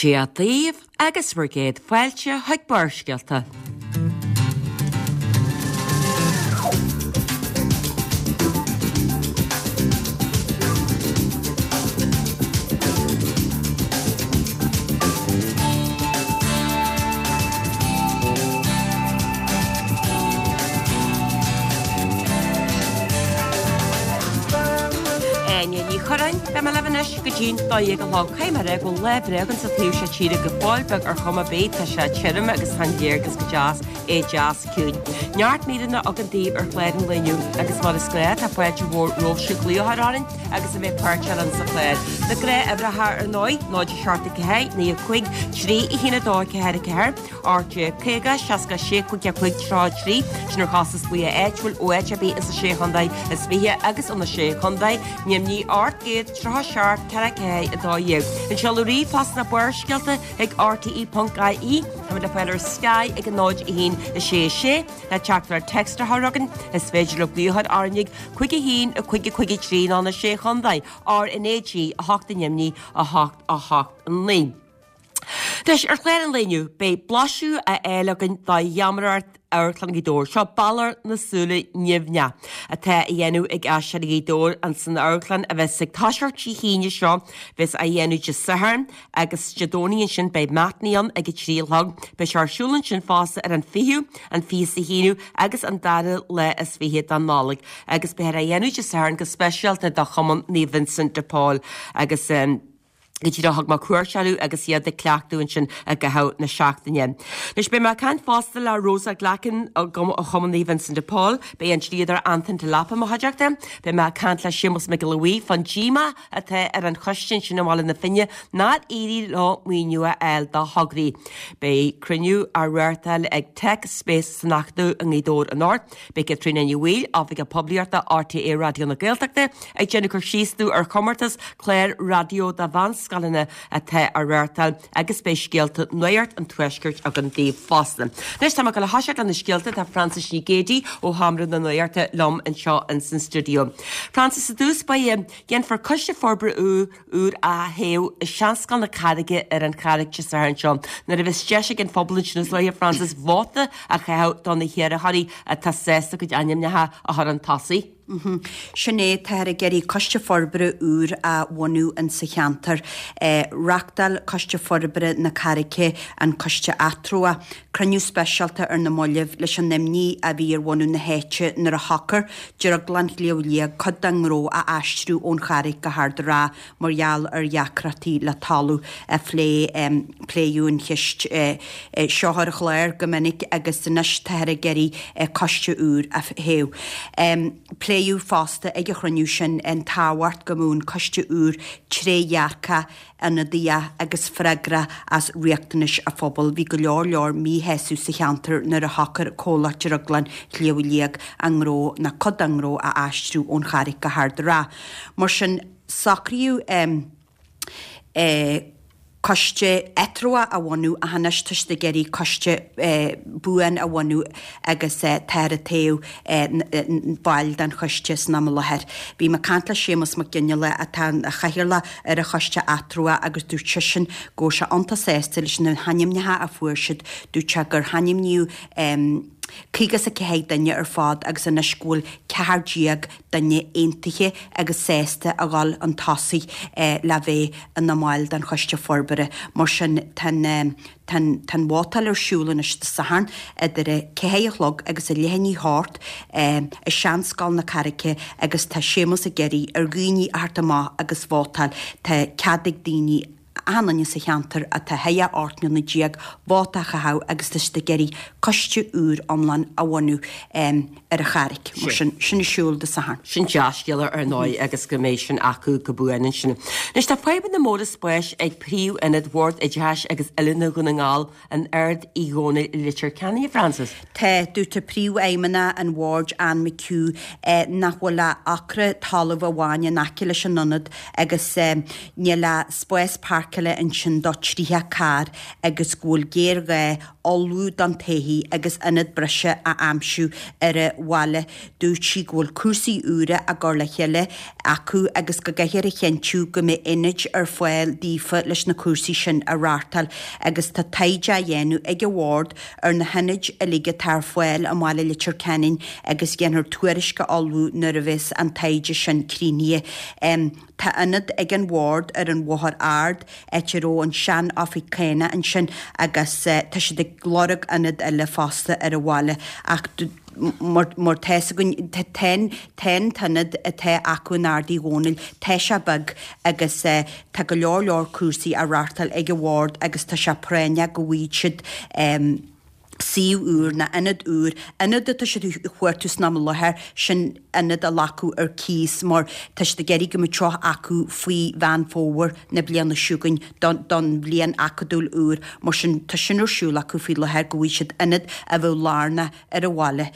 Dia daoibh agus bhur gcéad fáilte chuig Barrscéalta. Áine Ní Churráin, beidh mé libh anois go dtí'n 12 a chlog. Caithfidh mé a rá go bhfuil lá breá againn sa taobh seo tíre go fóill beag ar chuma ar bith, tá sé tirim agus tá an léargas go deas, é deas ciúin. Neart míreanna againn daoibh ar chlár an lae inniu agus mar is gnáth tá fáilte mhór romhaibhse glaoch a chur orainn agus a bheith páirteach linn sa chlár. Na gnáthuimhreacha ar ndóigh, 0 7 4 9 5 3 1 2 4 4, 18 50 66 5 5 33, sin ar chostas glaoch áitiúil ó áit ar bith ins na Sé Chontae is 20 agus ó na Sé Chontae, Nimhní 837 4 4 12. An seoladh ríomhphost ná Barrscéalta ag rte.ie. Táimid le fáil ar Sky ag 0 1 6 6 le teachtaireacht text a chur chugainn. Is féidir libh glaoch a chur orainn ag 5 1 5 5 3 nó na Sé Chontae, RnaG 8 i nDoimní 8 8 9. Anois, ar chlár an lae inniu, beidh blaiseadh á fháil againn de gheamaireacht Amharclann Ghaoth Dobhair. Seo Balor na Súile Nimhneach atá á dhéanamh ag Aisteoirí Ghaoth Dobhair ins an amharclann a bheas ag toiseacht Dé hAoine seo, bheas á dhéanamh Dé Sathairn agus Dé Domhnaigh ansin beidh matinee ann ag a 3 a chlog. Beidh sé ar siúl ansin fosta ar an 20ú, an 21ú agus an dara lá is 20 de Nollaig agus beifear á dhéanamh Dé Sathairn go speisialta do Chumann Naomh Vincent de Paul agus go díreach thug mé cuairt orthu agus iad ag cleachtadh ansin i gcaitheamh na seachtaine. Anois beidh mé ag caint fosta le Rosa Glackin ó Chumann Naomh Vincent de Paul, beidh an dlíodóir Antain de Lapa i mo chuideachta, beidh mé ag caint le Séamus Mac Giolla Bhuí fán díomá atá ar an choiste ansin i mBaile na Finne nár éirigh leo maoiniú a fháil do thograí. Beidh cruinniú á reáchtáil ag Tech Space san Acadamh i nGaoth Dobhair anocht. Beidh Caitríona Ní Bhaoill, Oifigeach Poiblíochta RTÉ Raidió na Gaeltachta, ag déanamh cur síos dúinn ar chomórtas clár raidió do mheánscoileanna atá á reáchtáil agus beidh scéalta Nuacht an Tuaiscirt againn daoibh fosta. Anois tá mé ag dul a thoiseacht le na scéalta, tá Frances Ní Géidigh ó Sheomra na Nuachta liom anseo ins an stiúideo. Frances, i dtús báire, déanfar Coiste Forbartha úr úr a thoghadh i Seanscoil na Carraige ar an Charraig Dé Sathairn seo nuair a bheas deis ag an phobal ansin is dóiche, Frances, vóta a chaitheamh do na hiarrthóirí atá sásta a gcuid ainmneacha a chur chun tosaigh. Sin é, táthar ag iarraidh Coiste Forbartha úr a bhunú insa cheantar. Reachtáil Coiste Forbartha na Carraige, an Coiste Eatramhach, cruinniú speisialta ar na mallaibh leis an imní a bhí ar bhunadh na háite nuair a shocair Drioglann Shliabh Liag cuid dá ngnó a aistriú ón Charraig go hArd an Rátha mar gheall ar dheacrachtaí le talamh. Pléadh an cheist seo ar an chlár go minic agus anois táthar ag iarraidh coiste úr a thoghadh. Pléadh fosta ag an chruinniú sin an tábhacht go mbeadh an coiste úr trédhearcach, ionadaíoch agus freagrach as riachtanais an phobail. Bhí go leor leor míshásamh sa cheantar nuair a shocair comhlacht Drioglann Shliabh Liag a ngnó, nó cuid dá ngnó, a aistriú ón Charraig go hArd an Rátha. Mar sin, socraíodh coiste eatramhach a bhunú ach anois tá siad ag iarraidh coiste buan a bhunú agus táthar ag toghadh baill den choiste san am i láthair. Bhí mé ag caint le Séamus Mac Fhionnghaile atá ina chathaoirleach ar an choiste eatramhach agus dúirt seisean go bhfuil sé iontach sásta leis na hainmneacha a fuair siad. Dúirt sé gur hainmníodh 54 duine ar fad agus anois go bhfuil 14 duine aontaithe agus sásta a dhul chun tosaigh le bheith ina mbaill den choiste forbartha. Mar sin tá an Tá an vótáil ar siúl anois Dé Sathairn idir a ceathair a chlog agus a leath i ndiaidh a hocht i Seanscoil na Carraice agus tá Séamus ag iarraidh ar dhaoine a theacht amach agus vótáil. Tá cead ag daoine, achan duine sa cheantar atá thar 18 mbliana vóta a chaitheamh agus tá siad ag iarraidh coiste úr iomlán a bhunú ar an Charraig. Mar sin, sin ar siúl Dé Sathairn. Sin dea-scéala ar ndóigh agus go mbeidh sin acu go buan ansin. Anois tá fadhbanna móra spáis ag príomh-ionad Bhord Oideachais agus Oiliúna Dhún na nGall in Ard Uí Dhónaill i Leitir Ceanainn, a Frances. Tá, dúirt príomhfheidhmeannach an bhoird, Anne McHugh, nach bhfuil ach acra talaimh amháin in aice leis an ionad agus níl ach spás páirceála. páirceála ansin do 30 carr agus go bhfuil géarghá ullmhú don todhchaí agus ionad breise a aimsiú ar an bhaile. Dúirt sí go bhfuil cúrsaí úra á gcur le chéile acu agus go gcaithfear a chinntiú go mbeidh ionaid ar fáil daofa leis na cúrsaí sin a reáchtáil agus tá taighde á dhéanamh ag an bhord ar na hionaid uilig atá ar fáil i mbaile Leitir Ceanainn agus déanfar tuairisc a ullmhú nuair a bheas an taighde sin críochnaithe. Tá ionad ag an Bhord ar an Bhóthar Ard, áit a raibh an sean-oifig cánach ansin agus tá siad ag lorg ionad eile fosta ar an bhaile ach mar tá fhios againn tá an t-ionad atá acu in Ard Uí Dhónaill, tá sé beag agus tá go leor leor cúrsaí á reáchtáil ag an Bhord agus tá sé práinneach go bhfaighidh siad suíomh úr nó ionad úr, ionad atá siad a chuartú san am i láthair, sin ionad a ghlacadh ar cíos mar tá siad ag iarraidh go mbeadh teach acu faoi Mheán Fómhair na bliana seo chugainn don don bhliain acadúil úr. Mar sin tá sin ar siúl acu faoi láthair go bhfaighidh siad ionad a bheadh lárnach ar an bhaile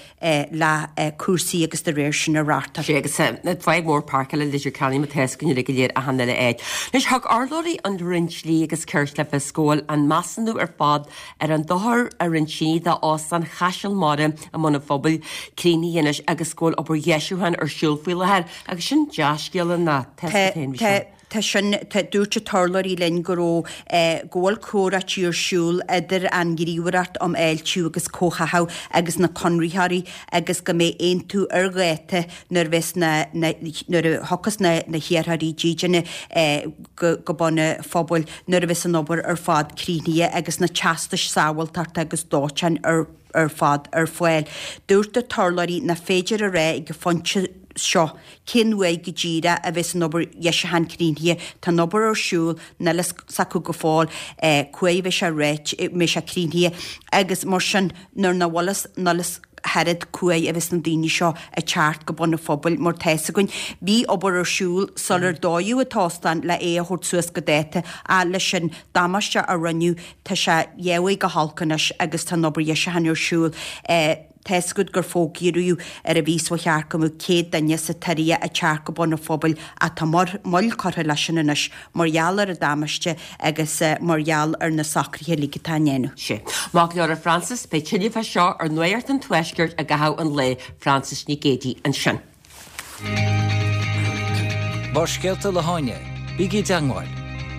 le cúrsaí agus dá réir sin a reáchtáil. Sea, agus fadhb mhór páirceála i Leitir Ceanainn mar tá fhios againn uilig go léir achan uile áit. Anois, thug urlabhraí an Roinn Dlí agus Cirt le fios go bhfuil an measúnú ar fad ar an dochar a rinne tine d'Óstán Chaiseal Mara i mBun an Phobail críochnaithe anois agus go bhfuil obair dheisiúcháin ar siúl faoi láthair agus sin dea-scéala ná tá fhios agat féin. Tá sin, tá, dúirt an t-urlabhraí linn go raibh, eh, go bhfuil comhráití ar siúl idir an Ghníomhaireacht um Fháiltiú agus Comhtháthú agus na conraitheoirí agus go mbeidh aontú ar dháta nuair a bheas na, na, nuair a thiocfas na, na hiarrthóirí dídine, eh, go, go Bun an Phobail nuair a bheas an obair ar fad críochnaithe agus na teastais sábháilteachta agus dóiteáin ar ar fad ar fáil. Dúirt an t-urlabhraí nach féidir a rá ag an phointe seo cén uair go díreach a bheas an obair dheisiúcháin críochnaithe. Tá an obair ar siúl, níl a fhios acu go fóill cá huair a bheidh sé réidh, mbeidh sé críochnaithe agus mar sin nuair nach bhfuil fhios, níl fhios ach oiread cá huair a bheas na daoine seo ag teacht go Bun an Phobail mar tá fhios againn bhí obair ar siúl sular dódh an t-óstán le é a thabhairt suas go dáta ach leis an damáiste a rinneadh Tá sé dheabhaidh go holc anois agus tá an obair dheisiúcháin ar siúl. Tá fhios agat gur fógraíodh ar an mhí seo chuaigh thart go mbeadh 100 duine sa tSiria ag teacht go Bun an Phobail ach tá moill curtha leis sin anois mar gheall ar an damáiste agus mar gheall ar na socruithe uilig atá á ndéanamh. Sea. Maith go leor a Frances, beidh tuilleadh fá seo ar Nuacht an Tuaiscirt i gcaitheamh an lae. Frances Nic Géadaigh ansin. Barrscéalta le hÁine, bígí i dteangmháil,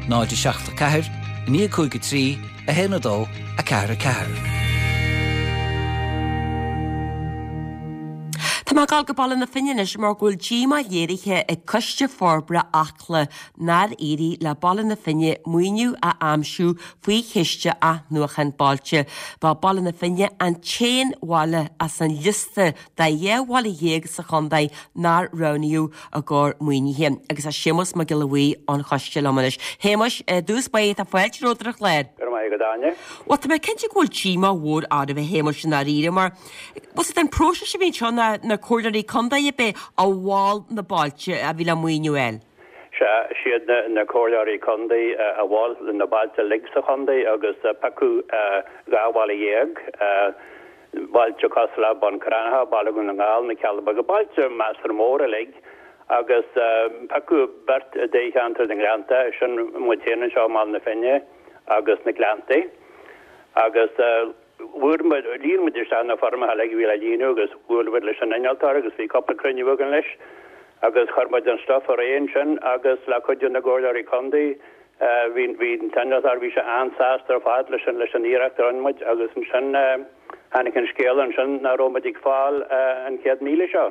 0 7 4 9 5 3 1 2 4 4. Tá mé ag dul go Baile na Finne anois mar go bhfuil díomá léirithe ag Coiste Forbartha Acla nár éirigh le Baile na Finne maoiniú a aimsiú faoi Chiste Athnuachan Bailte. Ba Baile na Finne an t-aon bhaile as an liosta de 12 bhaile sa chontae nár roghnaíodh i gcomhair maoinithe. Agus tá Séamus Mac Giolla Bhuí ón choiste liom anois. Shéamuis, i dtús báire tá fáilte romhat ar an chlár. Go raibh maith agat, Áine. Bhuel, tá mé cinnte go bhfuil díomá mhór oraibh, a Shéamuis, i ndáiríre, mar bhfuil fhios agat an próiseas a bhí anseo ná na comhairleoirí contae ab é a mhol na bailte a bhí le maoiniú a fháil. Sea, siad na comhairleoirí contae a mhol na bailte uilig sa chontae agus piocadh 12 bhaile. Bailte cosúil le Bun Cranncha, Baile Dhún na nGall, Na Cealla Beaga, bailte measartha mór uilig agus piocadh beirt i dtoghcheantar na nGleannta, sin muid féin anseo i mBaile na Finne agus na Gleanntaí. Agus bhfuair muid, líon muid isteach na foirmeacha uilig a bhí le líonadh agus bhuail muid leis an innealtóir agus bhí cúpla cruinniú againn leis agus chuir muid an stuif ar aghaidh ansin agus le cuidiú na gcomhairleoirí contae Bhí, bhí an t-innealtóir, bhí sé an-sásta ar fad leis an, leis an iarracht a rinne muid agus ansin tháinig an scéala ansin nach raibh muid ag fáil an 100,000 seo.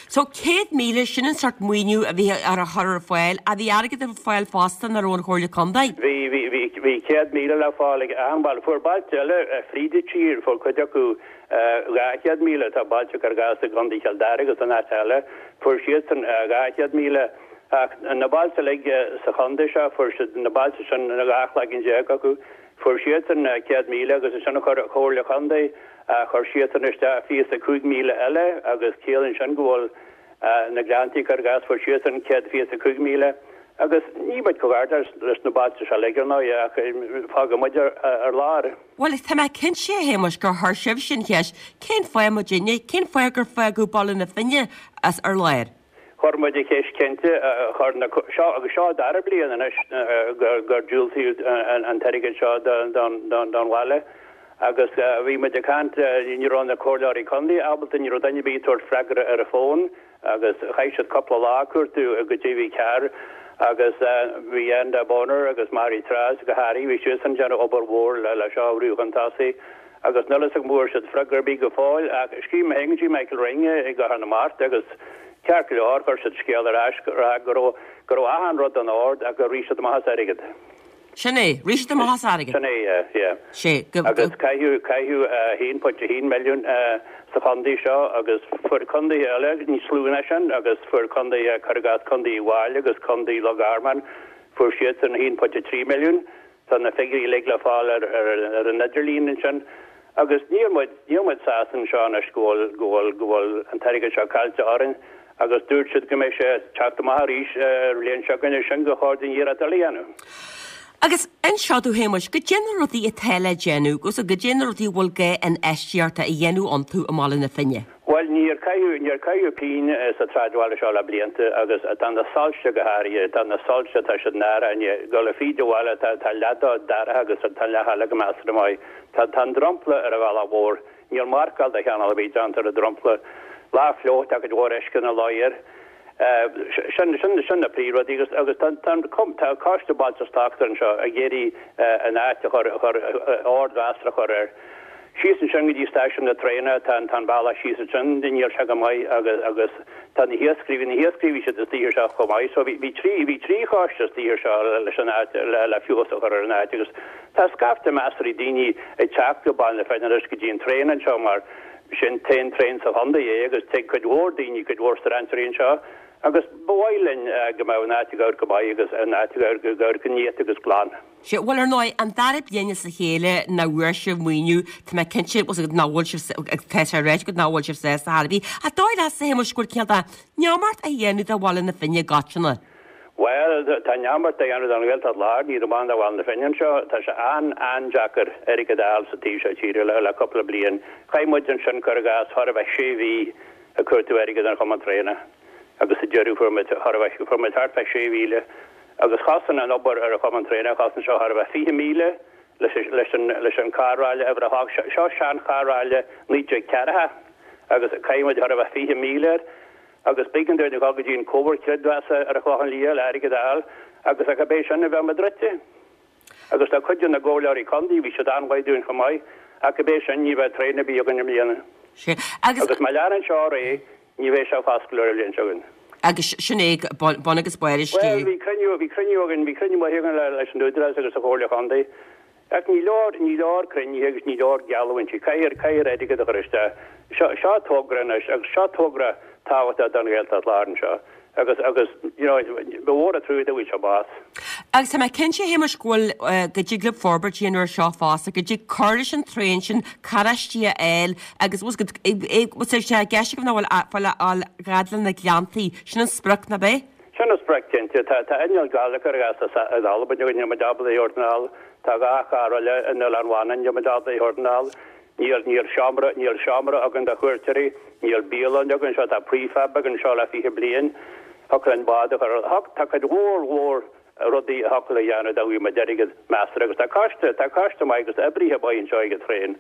So 100,000, sin an sort maoiniú a bhí ar a chur ar fáil. Ach bhí airgead ar fáil fosta nach raibh ón Chomhairle Contae? Bhí, bhí, bhí, bhí 100,000 le fáil ag achan bhaile. Fuair bailte eile fríd an tír, fuair cuid acu 200,000, tá bailte cuir i gcás i gContae Chill Dara agus in áit eile, fuair siadsan 200,000. Ach na bailte uilig sa chontae seo, fuair siad, na bailte sin, 12 cloigeann acu, fuair siadsan 100,000 agus ansin chuir an Chomhairle Chontae, chuir siadsan isteach 25,000 eile agus ciallaíonn sin go bhfuil na Gleanntaí cuir i gcás, fuair siadsan 125,000 agus níl muid chomh gar leis na bailte seo uilig ar ndóigh ach fágadh muid ar lár. Bhuel, tá mé cinnte, a Shéamuis, gur chuir sibhse an cheist, cén fáth muidinne, cén fáth gur fágadh Baile na Finne as ar lár? Chuir muid an cheist cinnte, chuir na, seo, agus seo an dara bliain anois gur, gur diúltaíodh an t-airgead seo don, don, don bhaile agus bhí muid ag caint, ní raibh na comhairleoirí contae ábalta, ní raibh duine ar bith ag tabhairt freagra ar an bhfón agus chaith siad cúpla lá ag cuartú goidé a bhí cearr agus bhí Enda Bonner agus Mary Therese go háirithe, bhí siadsan ag déanamh obair mhór le seo a bhrú chun tosaigh. Agus níl fhios agam an bhfuair siad freagra ar bith go fóill, ach scríobh mé féin go dtí Michael Ring i gCathair na Mart agus ceart go leor, chuir siad scéal ar ais ag rá go raibh, go raibh achan rud in ord ach gur rith siad amach as airgead. Sin é, rith siad amach as airgead. Sin é, yeah, yeah. Sé, go, go. Agus caitheadh, caitheadh 1.1 milliún sa chontae seo agus fuair contaetha eile níos lú ná sin agus fuair contaetha, cuir i gcás Contae Uíbh Fhailí agus Contae Loch Garman, fuair siadsan 1.3 milliún. Tá na figiúirí uilig le fáil ar ar an idirlíon ansin agus níl muid, níl muid sásta anseo anois go bhfuil, go bhfuil, go bhfuil an t-airgead seo caillte orainn agus dúirt siad go mbeidh sé ag teacht amach arís ar an bhliain seo chugainn, sin gur chóir dúinn iarracht eile a dhéanamh. Agus inis domh a Shéamuis, goidé na rudaí atá le déanamh, agus goidé na rudaí a bhfuil gá infheistíocht a dhéanamh iontu i mBaile na Finne. Bhuel, níor caitheadh, níor caitheadh pingin sa tsráidbhaile seo le blianta agus tá na soilse go háirithe, tá na soilse, tá siad náireach, i ndiaidh dul fríd an bhaile, tá, tá leath dó dorcha agus tá an leath eile go measartha maith. Tá, tá an dromchla ar an bhealach mhór, níl marcáil de chineál ar bith déanta ar an dromchla. Lá fliuch, tá cuid mhór uisce ina luí air. Sin, sin, sin na príomhrudaí agus, agus tá, tá an, tá Coiste Bailte is Tráchta anseo ag iarraidh an áit a chur, a chur, ord mheasartha a chur air. Síos ansin go dtí stáisiún na traenach, tá an, tá an bealach síos ansin, níl sé go maith agus, agus tá na hiascairí, bhí na hiascairí, bhí siad istigh anseo chomh maith. So bhí, bhí trí, bhí trí choiste istigh anseo leis an áit, le, le feabhas a chur ar an áit agus tá scaifte measartha daoine ag teacht go Baile na Finne anois go dtí an traein anseo mar sin t-aon traein sa chontae é agus tig cuid mhór daoine, cuid mhór strainséirí anseo agus ba mhaith linn go mbeadh an áit ag amharc go maith agus an áit ag amharc, ag amharc néata agus glan. Sea, bhuel ar ndóigh, an dara bliain as a chéile nach bhfuair sibh maoiniú, tá mé cinnte, nach bhfuil sibh, tá sé ráite agat nach bhfuil sibh sásta ar chor ar bith. Ach dóigh leatsa, a Shéamuis, go bhfuil cineál de neamart á dhéanamh de Bhaile na Finne i gcoitinne? Bhuel, tá neamart á dhéanamh den Ghaeltacht Láir, ní amháin de Bhaile na Finne anseo. Tá sé an-an-deacair airgead a fháil sa taobh seo tíre le le cúpla bliain. Chaith muid ansin, cuir i gcás, chóir a bheith sé mhí ag cuartú airgead don Chumann Traenach agus sa deireadh fuair muid chóir a bheith, fuair muid thart fá 6,000 agus chosain an obair ar an Chumann Traenach, chosain seo chóir a bheith 20,000 leis leis an leis an carr-ráille uimhir a hocht. Seo sean-charr-ráille 1940 agus chaith muid chóir a bheith 20,000 air. Agus b'éigean dúinn a dhul go dtí an Comhar Creidmheasa ar an Chlochán Liath le airgead a fháil agus ach ab é sin a bheadh muid druidte. Agus tá cuid de na gcomhairleoirí contae, bhí siad an-mhaith dúinn chomh maith, ach ab é sin ní bheadh traein ar bith againn i mbliana. Sea, agus. Agus má leanann seo ar aghaidh, ní bheidh sé foscailte ar an bhliain seo chugainn. Agus sin é bun agus barr an Bhuel, bhí cruinniú, bhí cruinniú againn, bhí cruinniú maith againn leis an Údarás agus an Chomhairle Chontae. Ach ní leor, ní leor cruinnithe agus ní leor geallúintí. Caithfear, caithfear airgead a chur isteach. Seo, seo togra anois agus seo togra tábhachtach don Ghaeltacht Láir anseo agus, agus, you know, ba mhór an trua dá bhfuil seo bás. Agus tá mé cinnte, a Shéamuis, go bhfuil, go dtig libh forbairt a dhéanamh ar seo fosta, go dtig cur leis an traein sin, carráistí a fháil agus, bhfuil sé i gceist agaibh nach bhfuil fáil a fhad le na Gleanntaí, sin an sprioc, nach é? Sin an sprioc, cinnte. Tá inneall Gaelic ar gas in Albain againn, níl muid ábalta é a thabhairt anall. Tá 2 charr eile in Oileán Mhanann, níl muid ábalta é a thabhairt anall. Níl, níl seomra, níl seomra againn do chuairteoirí, níl bialann againn anseo, tá prefab againn anseo le 20 bliain. Thiocfadh linn bád a chur ar, tá cuid mhór mhór rudaí a thiocfadh le dhéanamh dá bhfaigheadh muid airgead measartha agus tá coiste, tá coiste maith agus oibrithe maith anseo ag an traein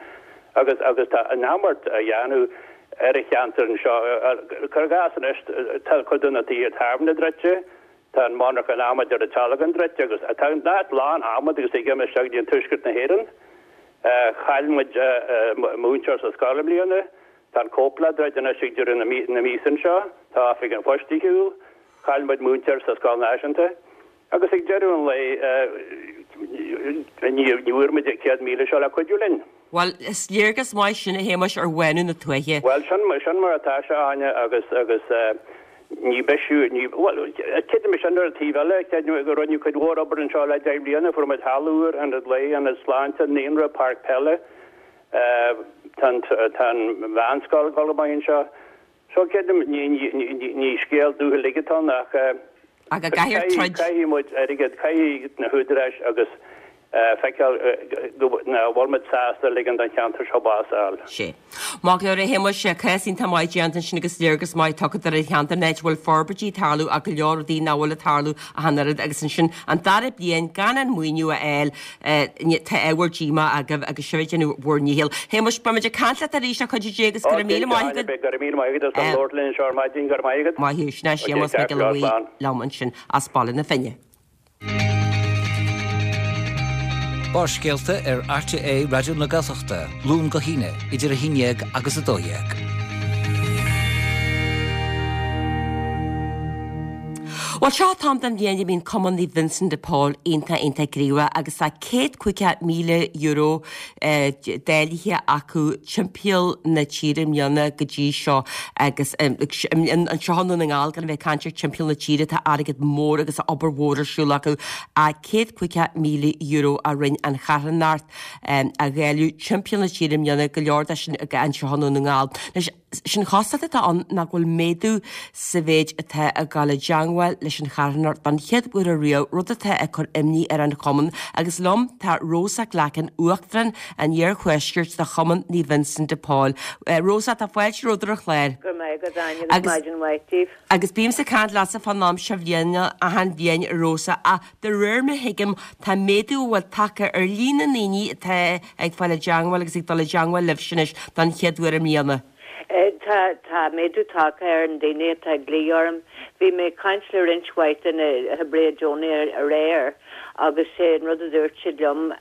agus, agus tá neamart á dhéanamh ar an cheantar anseo. Cuir i gcás anois, tá cuid de na tithe tábhairne druidte, tá an monarcha adhmaid ar an Tealgán druidte agus tá an áit lán adhmad agus ag imeacht isteach go dtí an tuaisceart na hÉireann. Chaill muid múinteoir sa scoil i mbliana, tá an Cóipleann ag druid anois ag deireadh na míosa anseo, tá oifig an phoist ar shiúl. Chaill muid múinteoir sa Scoil Náisiúnta agus ag deireadh an lae ní bhfuair muid an 100,000 seo le cuidiú linn. Bhuel, is léargas maith sin, a Shéamuis, ar bhánú na tuaithe. Bhuel, sin, sin mar atá sé, Áine, agus, agus ní bisiú, ní, bhuel, creidim sin ar an taobh eile, creidim go rinneadh cuid mhór obair anseo le 10 mbliana, fuair muid halla úr, ionad lae, ionad sláinte, naíonra, páirc peile, tá an, tá an mheánscoil ag dul go maith anseo. So creidim, ní scéal dubh uilig atá ann ach Ach go gcaithfear troid. caithfidh muid airgead, caithfidh na húdaráis agus. feiceáil go bhfuil muid sásta ligean don cheantar seo bás a fháil. Sea. Maith go leor a Shéamais, cás iontach maith déanta ansin agus léargas maith tugtha ar an cheantar, an áit a bhfuil forbairtí ag tarlú ach go leor rudaí nach bhfuil ag tarlú ach an oiread agus ansin an dara bliain gan an maoiniú a fháil tá ábhar díomá agaibh agus sibh ag déanamh bhur ndícheall. Shéamais, beimid ag caint leat arís le cuidiú Dé agus go raibh míle maith agat. Go raibh míle maith agat as labhairt linn anseo ar maidin, go raibh maith agat. Maith thú, sin é Séamas Mac Giolla Bhuí liom ansin as Baile na Finne. Barrscéalta ar RTÉ Raidió na Gaeltachta, Luan go hAoine, idir 11 agus 12. Bhuel, seo an t-am den bhliain a mbíonn Cumann Naomh Vincent de Paul iontach iontach gníomhach agus tá €150,000 dáilithe acu timpeall na tíre i mbliana go dtí seo agus anseo i nDún na nGall gan a bheith ag caint ar timpeall na tíre tá airgead mór agus obair mhór ar siúl acu €150,000 a rinne an charthanacht a dháileadh timpeall na tíre i mbliana go leor de sin anseo i nDún na nGall. Anois Sin chosúlacht atá ann ná go bhfuil méadú sa mhéid atá ag dul i dteangmháil leis an charthanacht don chéad uair ariamh, rud atá ag cur imní ar an chumann. Agus liom tá Rosa Glackin, Uachtarán an Iarthuaiscirt de Chumann Naomh Vincent de Paul. Rosa, tá fáilte romhat ar an chlár. Go raibh maith agat, Áine, agus maidin mhaith daoibh. Agus bímse ag caint leatsa fán am seo bhliana achan bhliain, a Rosa, ach de réir mar a thuigim, tá méadú a bhfuil tagtha ar líon na ndaoine atá ag fáil i dteangmháil agus ag dul i dteangmháil libhse anois don chéad uair i mbliana. Tá, tá méadú tagtha ar na daoine atá ag glaoch orm. Bhí mé ag caint le roinnt mhaith de na hoibrithe deonacha aréir agus sé an rud a dúirt siad liom,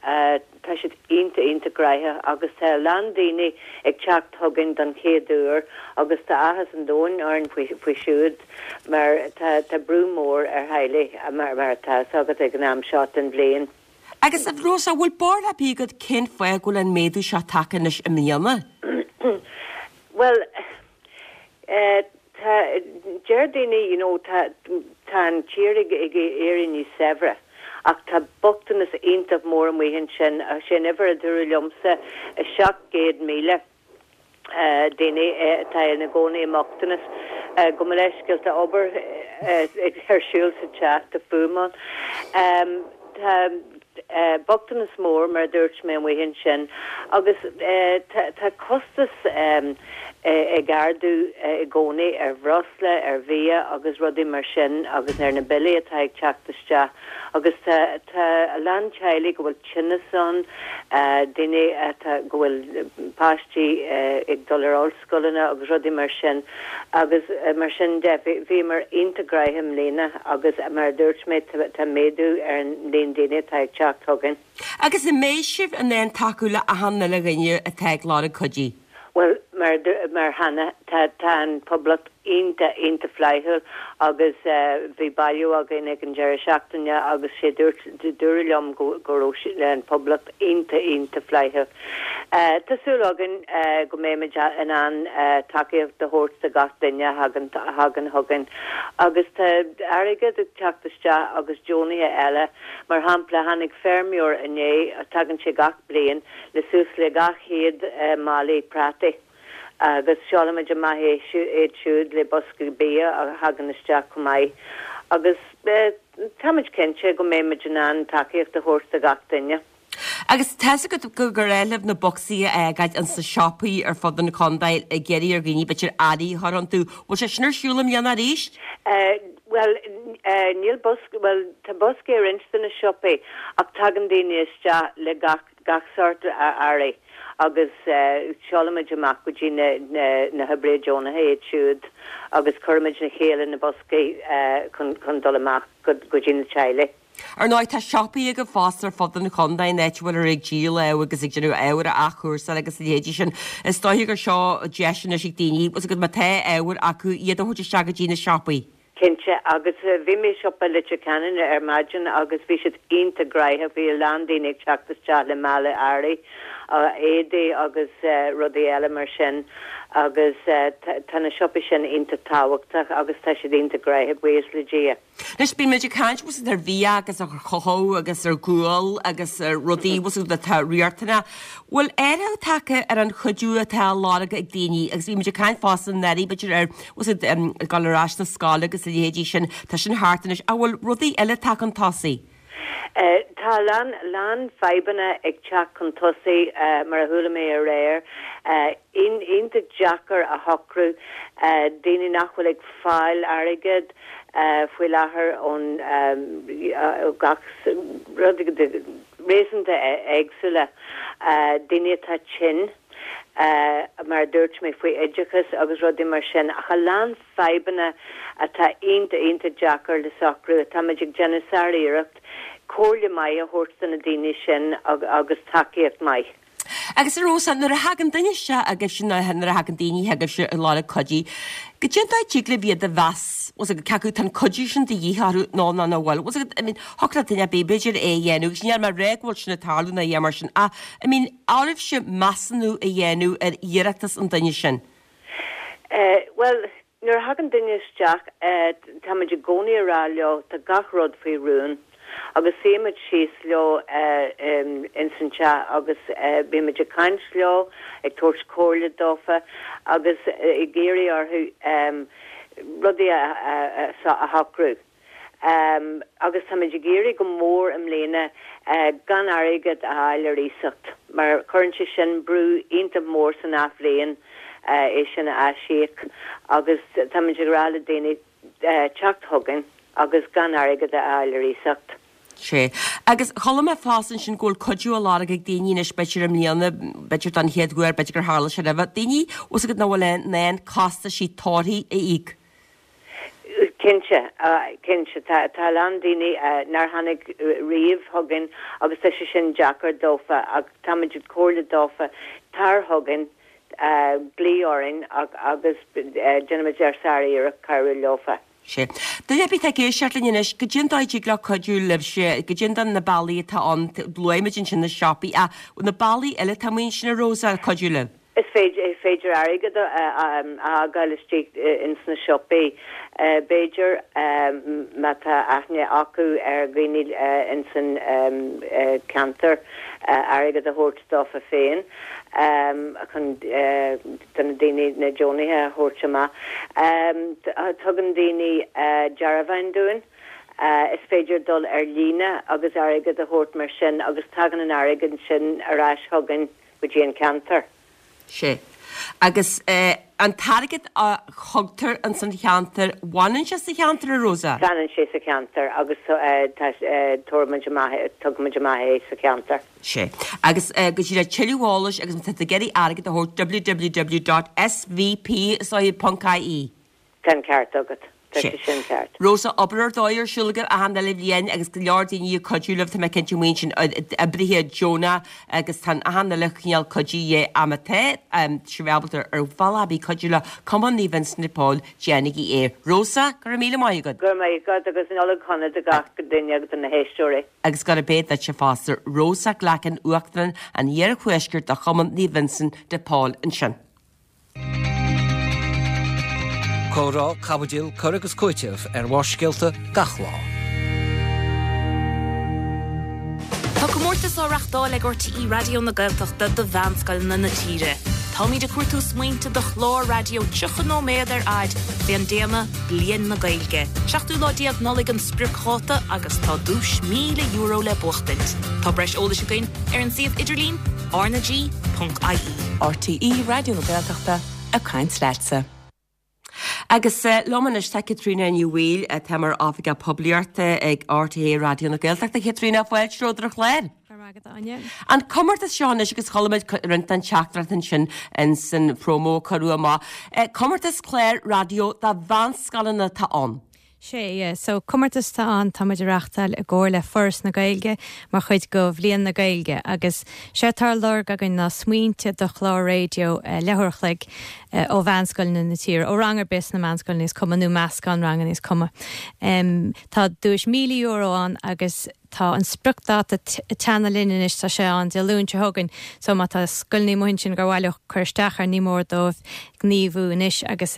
tá siad iontach, iontach gnaitheach agus tá a lán daoine ag teacht chugainn don chéad uair agus tá áthas an domhain orainn faoi, faoi siúd mar tá, tá brú mór ar theaghlaigh mar, mar atá fhios agat ag an am seo den bhliain. Agus a Rosa, an bhfuil barúil ar bith agat cén fáth go bhfuil an méadú seo tagtha anois i mbliana? Bhuel, eh, tá, deir daoine, you know, tá, tá an tír ag, ag éirí níos saibhre ach tá bochtanas iontach mór amuigh ansin, sé an uimhir a dúradh liomsa, 700,000. daoine atá ina gcónaí i mbochtanas. Gabh mo leithscéal, tá obair ar siúl sa teach, tá fuaim ann. Tá bochtanas mór, mar a dúirt mé, amuigh ansin agus tá costas ag ardú i gcónaí ar bhreosla, ar bhia agus rudaí mar sin agus ar na billí atá ag teacht isteach agus tá a lán teaghlaigh go bhfuil tinneas ann, daoine atá, go bhfuil páistí ag dul ar ollscoileanna agus rudaí mar sin agus mar sin de. Bhíomar iontach gnaitheach i mbliana agus mar a dúirt mé tá méadú ar an líon daoine atá ag teacht chugainn. Agus an mbeidh sibh in ann tacú le achan uile dhuine atá ag lorg cuidí? Bhuel, mar, mar cheana, tá, tá an Poblacht iontach, iontach flaithiúil agus bhí bailiú againn ag an deireadh seachtaine agus sé dúirt, dúradh liom go, go raibh an Poblacht iontach, iontach flaithiúil. Tá súil againn go mbeimid in ann tacaíocht a thabhairt do gach duine a thagann, a thagann chugainn agus tá airgead ag teacht isteach agus deonaithe eile, mar shampla, tháinig feirmeoir inné, tagann sé gach bliain, le suas le 200 málaí prátaí agus seolaimid amach iad siúd le boscaí bia a thagann isteach chomh maith agus táimid cinnte go mbeimid in ann tacaíocht a thabhairt do gach duine. Agus tá's agat gur gnách libh na bocsaí a fhágáil ins na siopaí ar fud an chontae ag iarraidh ar dhaoine b'fhéidir earraí a chur iontu. Bhfuil sé sin ar siúl i mbliana arís? Bhuel, níl bosca, bhuel tá boscaí i roinnt de na siopaí ach tagann daoine isteach le gach gach sórt earraí agus seolaimid amach go dtí na hoibrithe deonacha iad siúd agus cuirimid le chéile na boscaí chun dul amach go dtí na teaghlaigh. Ar ndóigh, tá siopaí agaibh fosta ar fud an chontae, an áit a bhfuil ag díol ábhair agus ag déanamh ábhair a athchúrsáil agus a leithéidí sin. Is dóiche gur seo deis anois ag daoine, agus má tá ábhair acu, iad a thabhairt isteach go dtí na siopaí. Cinnte, agus bhí mé i siopa Leitir Ceanainn ar maidin agus bhí siad iontach gnaitheach, bhí a lán daoine ag teacht isteach le mála earraí, éadaí agus rudaí eile mar sin agus tá na siopaí sin iontach tábhachtach agus tá siad iontach gnaitheach, buíochas le Dia. Anois, bíonn muid ag caint bhfuil 's agat ar bhia agus ar chothú agus ar ghual agus ar rudaí bhfuil 's agat atá riachtanach. Bhfuil athrú tagtha ar an chuidiú atá á lorg ag daoine agus bhí muid ag caint fosta anuraidh b'fhéidir ar bhfuil 's agat ag dul ar ais na scoile agus a leithéidí sin, tá sin thart anois. An bhfuil rudaí eile tagtha chun tosaigh? Tá a lán, lán fadhbanna ag teacht chun tosaigh, mar a chuala mé aréir. Iontach deacair a shocrú, daoine nach bhfuil ag fáil airgead faoi láthair ón gach rud, réasúnta éagsúla, daoine atá tinn, mar a dúirt mé faoi oideachas agus rudaí mar sin, ach a lán fadhbanna atá iontach, iontach deacair le socrú. Táimid ag déanamh sár-iarracht comhairle maith a thabhairt do na daoine sin agus tacaíocht maith. Agus a Rosa, nuair a thagann duine isteach agaibhse nó nuair a thagann daoine chugaibhse ag lorg cuidiú, goidé an dóigh a dtig libh iad a mheas, bhfuil 's agat, cé acu tá an cuidiú sin de dhíth orthu nó nó nach bhfuil. Bhfuil 's agat, I mean, thiocfadh le duine ar bith b'fhéidir é a dhéanamh agus níl mé ag rá go bhfuil sin ag tarlú nó a dhath mar sin ach, I mean, oraibhse measúnú a dhéanamh ar iarratas an duine sin. Eh, bhuel, Nuair a thagann duine isteach, táimid i gcónaí a rá leo tá gach rud faoi rún agus suímid síos leo ins an teach agus bímid ag caint leo, ag tabhairt comhairle dófa agus ag iarraidh orthu rudaí a shocrú. Agus táimid ag iarraidh go mór i mbliana gan airgead a fháil ar iasacht, mar cuireann sé sin brú iontach mór san athbhliain é sin a aisíoc agus táimid ag rá le daoine teacht chugainn agus gan airgead a fháil ar iasacht. Sea. Agus chuala mé fosta ansin go bhfuil cuidiú á lorg ag daoine anois, b'fhéidir i mbliana, b'fhéidir don chéad uair, b'fhéidir gur tharla sé roimhe, daoine, bhfuil 's agat, nach bhfuil in ann costaisí torthaí a íoc. Cinnte, cinnte. Tá a lán daoine nár tháinig riamh chugainn agus tá sé sin deacair dófa ach táimid ag comhairle dófa tar chugainn, glaoigh orainn agus déanfaimid ár sár-iarracht cabhrú leofa. Sea. Duine ar bith atá ag éisteacht linn anois, goidé an dóigh a dtig leo cuidiú libhse, goidé na bealaí atá ann, luaigh muid ansin na siopaí ach na bealaí eile atá amuigh ansin a Rosa, cuidiú libh? Is féidir airgead a fhágáil istigh ins na siopaí, b'fhéidir, má tá aithne acu ar dhaoine ins an ceantar, airgead a thabhairt dófa féin chun do na daoine, na deonaithe a thabhairt amach. Tugann daoine dearbháin dúinn. Is féidir dul ar líne agus airgead a thabhairt mar sin agus tagann an airgead sin ar ais chugainn. go dtí an ceantar. Sea. Agus an t-airgead a thugtar ins an cheantar, fanann sé sa cheantar, a Rosa? Fanann sé sa cheantar agus tabharfaimid amach, tugaimid amach é sa cheantar. Sea. Agus go díreach tuilleadh eolais agus má tá tú ag iarraidh airgead a thabhairt, www.svp, is dóigh, ponc ie. Tá an ceart agat. Tá sé sin ceart. Rosa, obair ar dóigh ar siúl agaibh achan uile bhliain agus go leor daoine ag cuidiú libh, tá mé cinnte amuigh ansin, oibrithe deonacha agus tá achan uile chineál cuidiú de dhíth má tá sibh ábalta ar bhealach ar bith cuidiú le Cumann Naomh Vincent de Paul, déanaigí é. Rosa, go raibh míle maith agat. Go raibh maith agat agus Nollaig shona do gach duine agus do na héisteoirí. Agus gurab é duitse fosta. Rosa Glackin, Uachtarán an Iarthuaiscirt do Chumann Naomh Vincent de Paul ansin. Comhrá, caibidil, cur agus cúiteamh ar Bharrscéalta gach lá. Tá comórtas á reachtáil ag RTÉ Raidió na Gaeltachta do mheánscoileanna na tíre. Táimid ag cuartú smaointe do chlár raidió 30 nóiméad ar fhaid fén dtéama 'Bliain na Gaeilge'. Seachtú lá déag Nollaig an spriocdháta agus tá duais €1,000 le buachtaint. Tá breis eolais againn ar an suíomh idirlín rnag.ie. RTÉ Raidió na Gaeltachta, ag caint leatsa. Agus liom anois tá Caitríona Ní Bhaoill, atá mar Oifigeach Poiblíochta ag RTÉ Raidió na Gaeltachta. Caitríona, fáilte romhat ar an chlár. Go raibh maith agat, Áine. An comórtas seo anois agus chuala muid roinnt den teachtaireacht ansin in san promo a cuireadh amach. Comórtas clár raidió do mheánscoileanna atá ann. Sea, yeah. So, comórtas atá ann, tá muid a reachtáil i gcomhar le Foras na Gaeilge mar chuid de Bhliain na Gaeilge agus sé atá á lorg againn ná smaointe do chlár raidió leathuair a chloig ó mheánscoileanna na tíre, ó rang ar bith sna meánscoileanna is cuma nó meascán ranganna is cuma. Tá duais €1,000 ann agus Tá an spriocdháta ag teannadh linn anois, tá sé ann Dé Luain seo chugainn, so má tá scoileanna amuigh ansin gur mhaith leo cur isteach air, ní mór dóibh gníomhú anois agus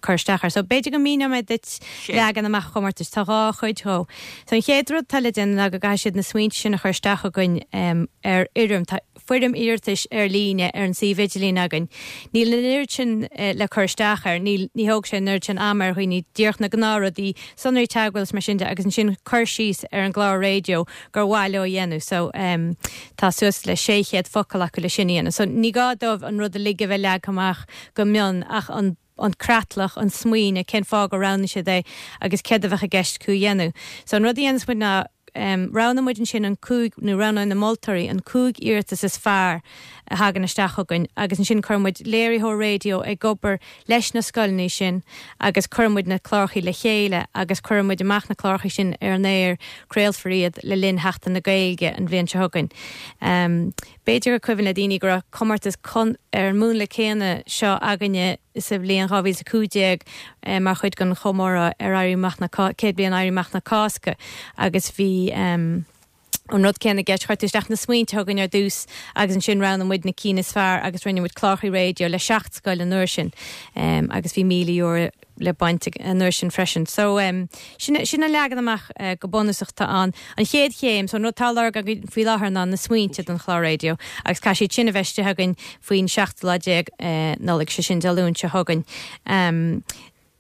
cur isteach air. So b'fhéidir go míneoidh mé duit leagan amach an chomórtais. Tá dhá chuid dhó. So an chéad rud atá le déanamh ná go gcaithfidh siad na smaointe sin a chur isteach chugainn ar fhoirm. Tá foirm iarratais ar líne ar an suíomh idirlín againn. Níl an oiread sin le cur isteach air, níl, ní thóg sé an oiread sin ama ar dhaoine, díreach na gnáthrudaí, sonraí teagmhála is mar sin de agus ansin cur síos ar an gclár raidió. raidió gur mhaith leo a dhéanamh. So tá suas le 600 focal acu le sin a dhéanamh. So ní gá dóibh an rud uilig a bheith leagtha amach go mion ach an an creatlach, an smaoineamh, cén fáth gur roghnaigh siad é agus céard a bheadh i gceist acu a dhéanamh. So an rud a dhéanas muid ná roghnaigh muid ansin an 5, nó roghnaigh na moltóirí an 5 iarratas is fearr a thagann isteach chugainn agus ansin cuireann muid léiritheoir raidió ag obair leis na scoileanna sin agus cuireann muid na clárachaí le chéile agus cuireann muid amach na clárachaí sin ar an aer, craolfar iad le linn Sheachtain na Gaeilge an bhliain seo chugainn. B'fhéidir gur cuimhin le daoine go raibh comórtas ar an múnla céanna seo againne sa bhliain 2015 mar chuid den chomóradh ar Éirí Amach na 100 bliain Éirí Amach na Cásca agus bhí an rud céanna i gceist, chuir tú isteach na smaointe chugainn ar dtús agus ansin roghnaigh muid na cinn is fearr agus rinne muid clárachaí raidió le seacht scoil an uair sin agus bhí €1,000 le baint an uair sin freisin. So, sin, sin an leagan amach go bunúsach atá ann. An chéad chéim, so an rud atá á lorg againn faoi láthair ná na smaointe don chlár raidió agus caithfidh siad sin a bheith istigh againn faoin seachtú lá déag Nollaig, sé sin Dé Luain seo chugainn.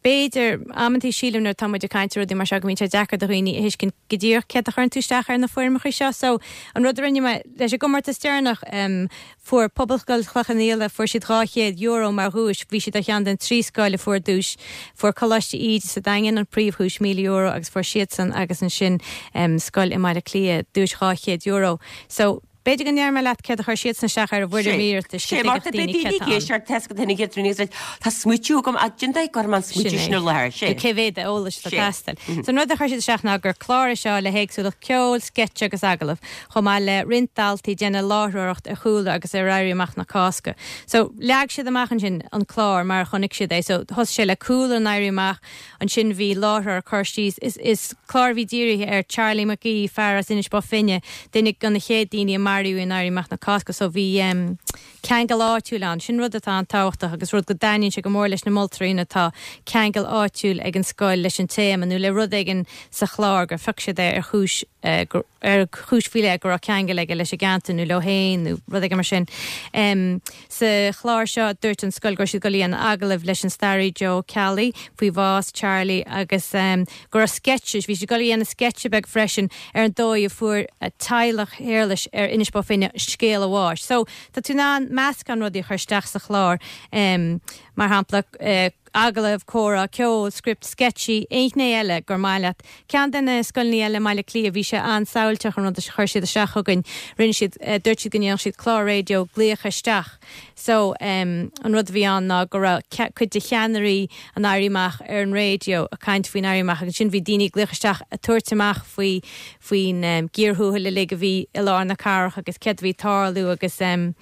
B'fhéidir, amantaí sílim nuair atá muid ag caint ar rudaí mar seo go mbíonn sé deacair do dhaoine a thuiscint go díreach céard a chuireann tú isteach ar na foirmeacha seo. So, an rud a rinne mé leis an gcomórtas deireanach, Fuair Pobalscoil Chloich Cheann Fhaola, fuair siad €200 mar dhuais, bhí siad ar cheann den trí scoil a fuair duais. Fuair Coláiste Íde sa Daingean an príomhdhuais, €1,000, agus fuair siadsan agus ansin scoil i mBaile Átha Cliath duais €200. So, b'fhéidir go ndéarfaidh mé leat céard a chuir siadsan isteach ar a bhfoirm iarratais go Sé mar dtuigfeadh beidh daoine daoine céard ag atá ann. éisteacht tá go daoine ag éisteacht tá smaoitiú agam ach cén dóigh go gcuirfidh mé an Sin smaoitiú é. sin i láthair. Sé. Nó cé mhéad eolais atá Sé. ag teastáil. So an rud a chuir siad isteach ná gur clár é seo le héagsúlacht ceoil, sceitse agus agallamh. chomh maith le roinnt daltaí ag déanamh láithreoireacht ar chúlra agus ar Éirí Amach na Cásca. So, leag siad amach ansin an clár mar a chonaic siad é. So, thosaigh sé le cúlra an Éirí Amach, ansin bhí láithreoir ag cur síos, is, is clár a bhí dírithe ar Charlie McGee, fear as Inis Bó Finne, duine de na chéad daoine a maraíodh in Éirí Amach na Cásca. So, bhí em ceangal áitiúil ann. Sin rud atá an-tábhachtach agus rud go dtaitníonn sé go mór leis na moltóirí nuair atá ceangal áitiúil ag an scoil leis an téama nó le rud éigin sa chlár gur phioc siad é ar chúis eh, ar chúis faoi leith go raibh ceangal aige leis an gceantar nó leo féin nó rud éigin mar sin. Sa chlár seo, dúirt an scoil go raibh siad ag dul a dhéanamh agallaimh leis an staraí Joe Ó Ceallaigh faoi bhás Charlie agus go raibh sceitse, bhí siad ag dul a dhéanamh sceitse beag freisin ar an dóigh a fuair teaghlach Shéarlais ar Inis Bó Finne scéal a bháis. So, tá tú in ann meascán rudaí a chur isteach sa chlár, mar shampla, agallamh, comhrá, ceol, script, sceitsí, aon ghné eile gur maith leat. Ceann de na scoileanna eile i mBaile Átha Cliath, bhí sé an-samhailteach an rud a chuir siad isteach chugainn. Rinne siad, dúirt siad go ndéanfadh siad clár raidió glaoch isteach. So, an rud a bhí ann ná go raibh cuid de cheannairí an Éirí Amach ar an raidió ag caint faoin Éirí Amach agus ansin bhí daoine ag glaoch isteach ag tabhairt amach faoi, faoin gcíor thuathail uilig a bhí i lár na cathrach agus céard a bhí ag tarlú agus sin,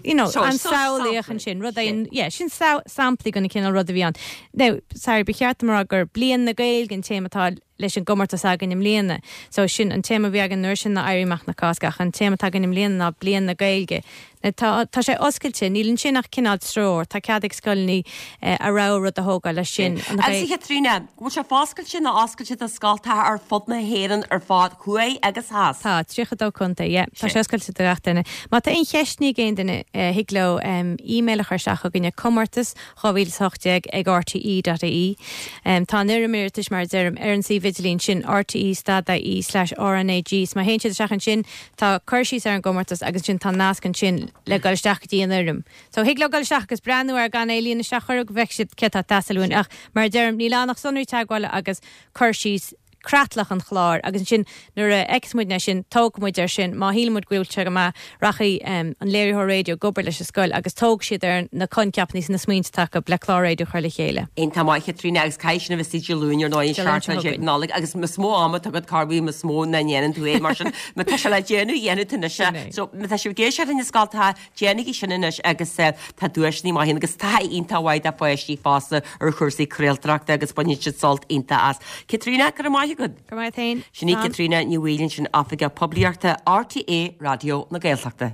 you know, an-samhlaíoch ansin, rud é, yeah, sin samplaí den chineál rud a bhí ann. Now, sorry, ba cheart dom a rá gur Bliain na Gaeilge an téama atá leis an gcomórtas againn i mbliana. So, sin an téama a bhí againn an uair sin ná Éirí Amach na Cásca ach an téama atá againn i mbliana ná Bliain na Gaeilge. Now, tá, tá sé oscailte, níl ansin ach cineál treoir, tá cead ag scoileanna a rogha rud a thógáil leis sin. An Agus a Chaitríona, bhfuil sé foscailte nó oscailte do scoltacha ar fud na hÉireann ar fad, thuaidh agus theas? Tá, 32 contae, yeah. Tá sé oscailte do gach duine. Má tá aon cheisteanna ag aon duine, thig leo email a chur isteach chugainn ag comórtas 2018 ag rte.ie. Tá an fhoirm iarratais, mar a deirim, ar an suíomh idirlín sin, rte stad ie slash RnaG. So má théann siad isteach ansin, tá cur síos ar an gcomórtas agus ansin tá nasc ansin le dul isteach go dtí an fhoirm. So thig leo dul isteach agus breathnú air gan é a líonadh isteach chuir go bhfeicfidh siad céard atá ag teastáil uainn. Ach mar a deirim, níl ann ach sonraí teagmhála agus cur síos creatlach an chláir agus ansin nuair a fheiceas muidne é sin, tógfaidh muid air sin. Má shíleann muid go bhfuil sé go maith, rachaidh an léiritheoir raidió ag obair leis an scoil agus tógfaidh siad ar na coincheapanna is na smaointe atá acu le clár raidió a chur le chéile. Iontach maith, a Chaitríona, agus caithfidh sin a bheith istigh Dé Luain ar ndóigh, an Iontach 17 chugainn. Nollaig agus is mó ama atá agat corruair is mó ná ndéanann tú é mar sin má tá sé le déanamh, déanfaidh tú anois é. Sin é. So má tá sibh ag éisteacht linn na scoltacha, Déanaigí sin anois agus tá duaiseanna maithe ann agus taithí iontach mhaith do pháistí fosta ar chúrsaí craoltóireachta agus baineann siad sult iontach as. Caitríona, go raibh maith agat. Go raibh maith agat féin. Sin í Caitríona Ní Bhaoill ansin, Oifigeach Poiblíochta RTÉ Raidió na Gaeltachta.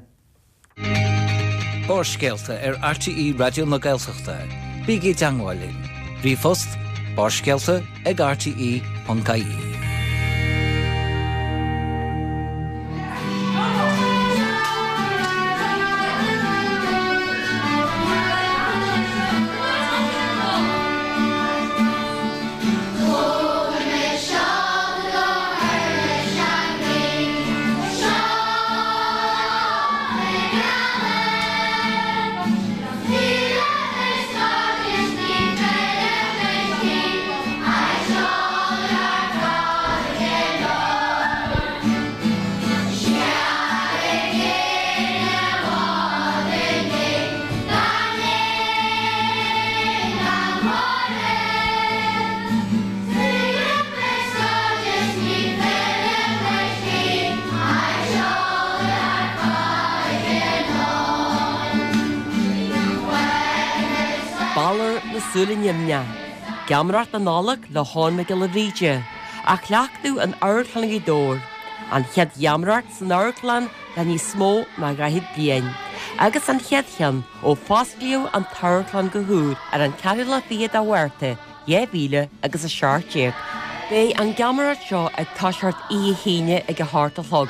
Barrscéalta ar RTÉ Raidió na Gaeltachta. Bígí i dteangmháil linn. Ríomhphost, barrscéalta ag rte.ie. Balor na Súile Nimhneach, Geamaireacht na Nollag le hEoin Mac Giolla Bhríde, á chleachtadh in Amharclann Ghaoth Dobhair, an chéad gheamaireacht san amharclann le níos mó ná 40 bliain, agus an chéad cheann ó fosclaíodh an t-amharclann go húr ar an ceathrú lá fichead de Mhárta 2000 agus 17. Beidh an gheamaireacht seo ag toiseacht oíche hAoine ag a hocht a chlog.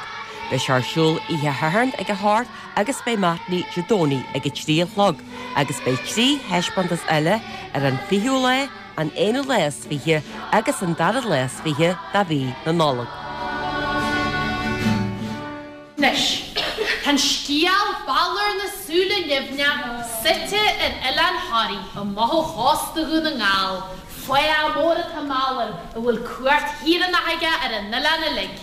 Beidh sé ar siúl oíche Shathairn ag a hocht agus beidh matinee Dé Domhnaigh ag a trí a chlog agus beidh 3 thaispeántas eile ar an 20ú lá, an aonú lá is 20 agus an dara lá is 20 de mhí na Nollag. Anois, tá an scéal Balor na Súile Nimhneach suite ar Oileán Thoraí amach ó chósta Dhún na nGall. Fáidh mór atá i mBalor a bhfuil cumhacht thíreánach aige ar an oileán uilig.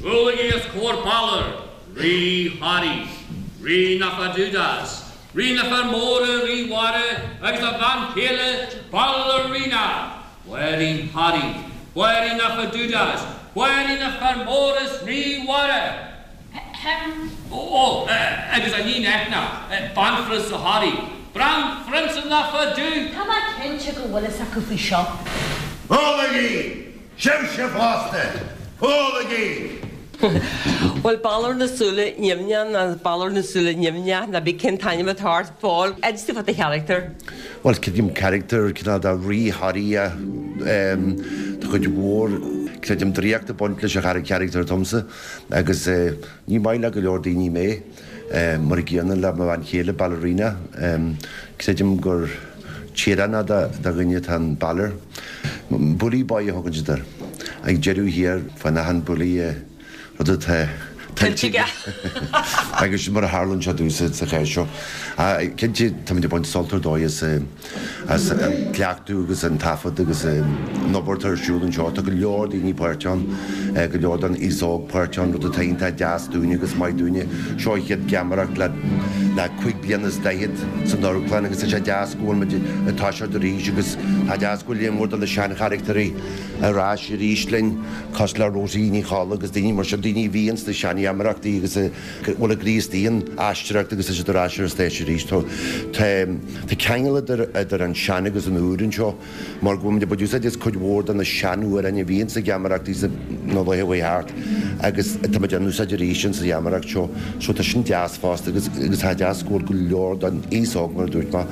Buailigí os comhair Balor, Rí Thoraí, Rí na Fadudas, Rí na Fear Móra, Rí Mhara agus a bhean chéile Balorina, Banríon Thoraí, Banríon na Fadudas, Banríon na Fear Mór is Rí Mhara. Ahem. Ó, agus a níon Eithne, Banphrionsa Thoraí, Banphrionsa na Fadu! Tá mé cinnte go bhfuil fhios acu faoi seo. Ólaigí! Sibhse fosta! Ólaigí! Bhuel, Balor na Súile Nimhneach nó Balor na Súile Nimhneach, nó cibé cén t-ainm atá air, Paul, inis dúinn fá do charachtar. Bhuel, creidim carachtar cineál de rí Thoraí é. Tá cuid mhór, creidim, draíocht ag baint leis an charachtar domsa agus ní maith le go leor daoine mé. Mar an gcéanna le mo bhean chéile, Ballerina. Creidim gur tíoránach de dhuine atá in Balor. Bully boy a thugann siad air. Ag deireadh thiar, faigheann achan bully rud atá tuillte aige. Agus sin mar a tharlaíonn sé domhsa sa chás seo. Cinnte, táimid ag baint sult ar dóigh as. as an gcleachtadh agus an taifead agus an obair atá ar siúl anseo. Tá go leor daoine páirteach ann, go leor den aos óg páirteach ann, rud atá iontach deas dúinne agus maith dúinne. Seo an chéad gheamaireacht le le cúig bliana is daichead san amharclann agus tá sé deas go bhfuil muid ag toiseacht arís agus tá deas go bhfuil líon mór de na seancharachtairí ar ais arís linn, cosúil le Rosie Ní Cholla agus daoine mar sin, daoine a bhí ins na seangheamaireachtaí agus a bhfuil a gcroí istigh in aisteoireacht agus tá siad ar ais ar an stáitse arís. Tá tá ceangal idir idir an sean agus an úr anseo mar go bhfuil muid ag baint úsáid as cuid mhór de na seanamhráin a bhí insa gheamaireachtaí sa na laetha a chuaigh thart agus tá muid á n-úsáid arís insa gheamaireacht seo. So tá sin deas fosta agus agus tá deas go bhfuil go leor den aos óg mar a dúirt mé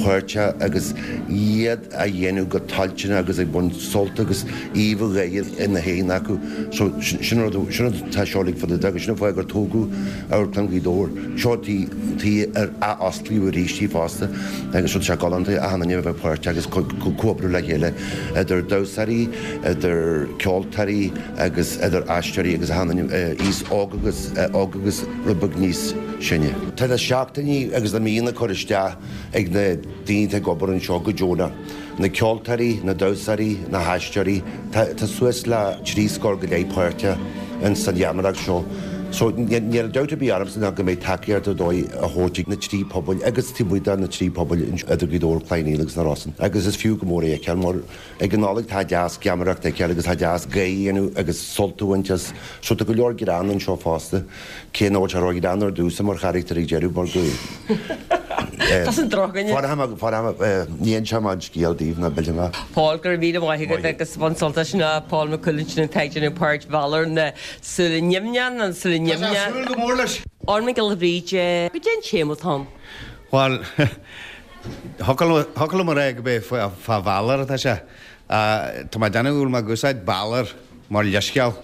páirteach agus iad á dhéanamh go toilteanach agus ag baint sult agus aoibh gháire ina n-aghaidheanna acu. So, sin an rud, sin an rud atá seo uilig fá dtaobh de agus sin an fáth gur tógadh Amharclann Ghaoth Dobhair. Seo tí, tí ar athosclaíodh arís í fosta agus so tá sé galánta achan duine a bheith páirteach agus comhoibriú le chéile idir damhsóirí, idir ceoltóirí agus idir aisteoirí agus achan duine, aos óg agus, óg agus rud beag níos sine. Tá na seachtainí agus na míonna curtha isteach ag na. daoine atá ag obair anseo go deonach, na ceoltóirí, na damhsóirí, na haisteoirí, tá suas le 3 scór go leith páirteach ins an gheamaireacht seo. So níl dabht ar bith ormsa ná go mbeidh tacaíocht ar dóigh á thabhairt ag na 3 pobail agus taobh amuigh de na 3 pobail idir Gaoth Dobhair, Cloich Cheann Fhaola agus na Rosann. Agus is fiú go mór é a fheiceáil mar ag an Nollaig tá deas geamaireacht a fheiceáil agus tá deas gáire a dhéanamh agus sult a bhaint as. So tá go leor greann anseo fosta. Cé nach bhfuil sé ró-ghreannmhar domhsa mar charachtar ag deireadh mar go Tusa an drochdhuine. Ní inseoidh mé an scéal daoibh ná millfidh mé. Paul, go raibh míle maith agat agus bain sult as sin Paul Mac Cumhaill ansin atá ag déanamh páirt Bhalor na Súile Nimhneach na Súile Nimhneach. Tá sé ag súil go mór leis. Eoin Mac Giolla Bhríde, goidé an téama atá ann? Bhuel, thiocfadh liom a rá go b'é fá Bhalor atá sé. Tá mé ag déanamh go bhfuil mé ag úsáid Balor. mar leithscéal.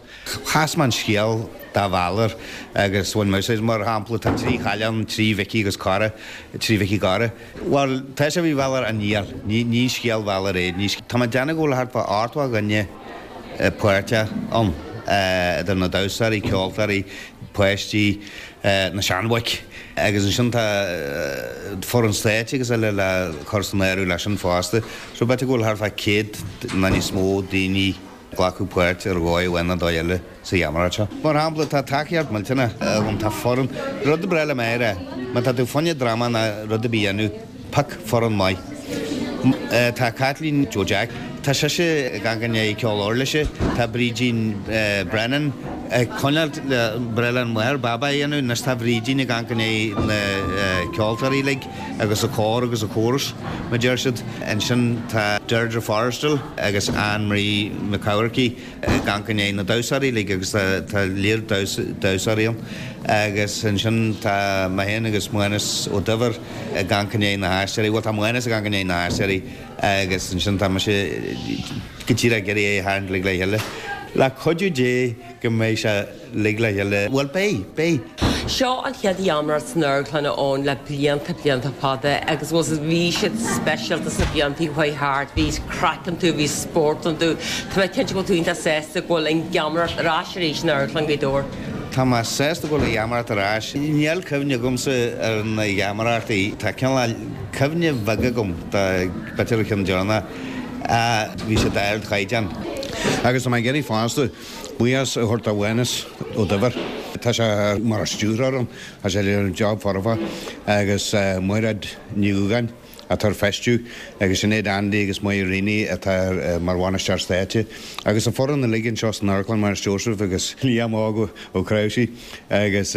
Chas mé an scéal do Bhalor agus bhain mé úsáid, mar shampla, tá 3 chailleach ann, 3 Mhicí agus cara, 3 Mhicí Cara. Bhuel, tá sé faoi Bhalor ach níl, ní scéal Bhalor é. Tá mé ag déanamh go bhfuil thart fá 80 dhuine páirteach ann, idir na damhsóirí, ceoltóirí, páistí, na seanbhoic agus ansin tá foireann stáitse agus eile le cur san áireamh leis sin fosta. So b'fhéidir go bhfuil thart fá 100 nó níos mó daoine ag glacadh páirt ar dhóigh amháin nó dóigh eile sa gheamaireacht seo. Mar shampla, tá tacaíocht millteanach agam, tá foireann, rud ba bhreá liom a rá, má tá tú fá choinne dráma nó rud ar bith a dhéanamh, pioc foireann maith. Tá Caitlín Joe Jack, tá sise ag amharc i ndiaidh ceol uirlise, tá Brídín Brennan ag coinneáil le Breithlá na Máthar, Baba a dhéanamh, anois tá Brídín ag amharc i ndiaidh na ceoltóirí uilig agus an cór agus an chóras, mar deir siad. Ansin tá Deirdre Forristal agus Anne Marie McCourkey ag amharc i ndiaidh na damhsóirí uilig agus tá léar damhsóirí ann agus ansin tá mé féin agus Mánas Ó Duibhir ag amharc i ndiaidh na haisteoirí, bhuel tá Mánas ag amharc i ndiaidh na haisteoirí agus ansin tá mise go díreach ag iarraidh é a tharraingt uilig le chéile. Le cuidiú Dé go mbeidh sé uilig le chéile, bhuel beidh, beidh! Seo an chéad gheamaireacht san amharclann ann le blianta, blianta fada agus bhuel bhí siad speisialta sna blianta a chuaigh thart, bhí craic iontu, bhí spórt iontu. Tá mé cinnte go bhfuil tú iontach sásta go bhfuil an gheamaireacht ar ais arís in Amharclann Ghaoth Dobhair. Tá mé sásta go bhfuil an gheamaireacht ar ais. Níl cuimhne agamsa ar na geamaireachtaí. Tá cineál cuimhne bheag agam de b'fhéidir an ceann deireanach. Bhí sé d'ardchaighdeán. Agus tá mé ag iarraidh fosta buíochas a thabhairt do Mhánas Ó Duibhir. Tá sé mar stiúrthóir ann, tá sé ag déanamh job foirfe agus Mairéad Ní Dhúgáin atá ar feistiú agus Sinéad Andy agus Máire Reaney atá mar bhainisteoir stáitse agus an foireann uilig anseo san amharclann, Muiris Joseph agus Liam Óg Ó Cnáimhsí agus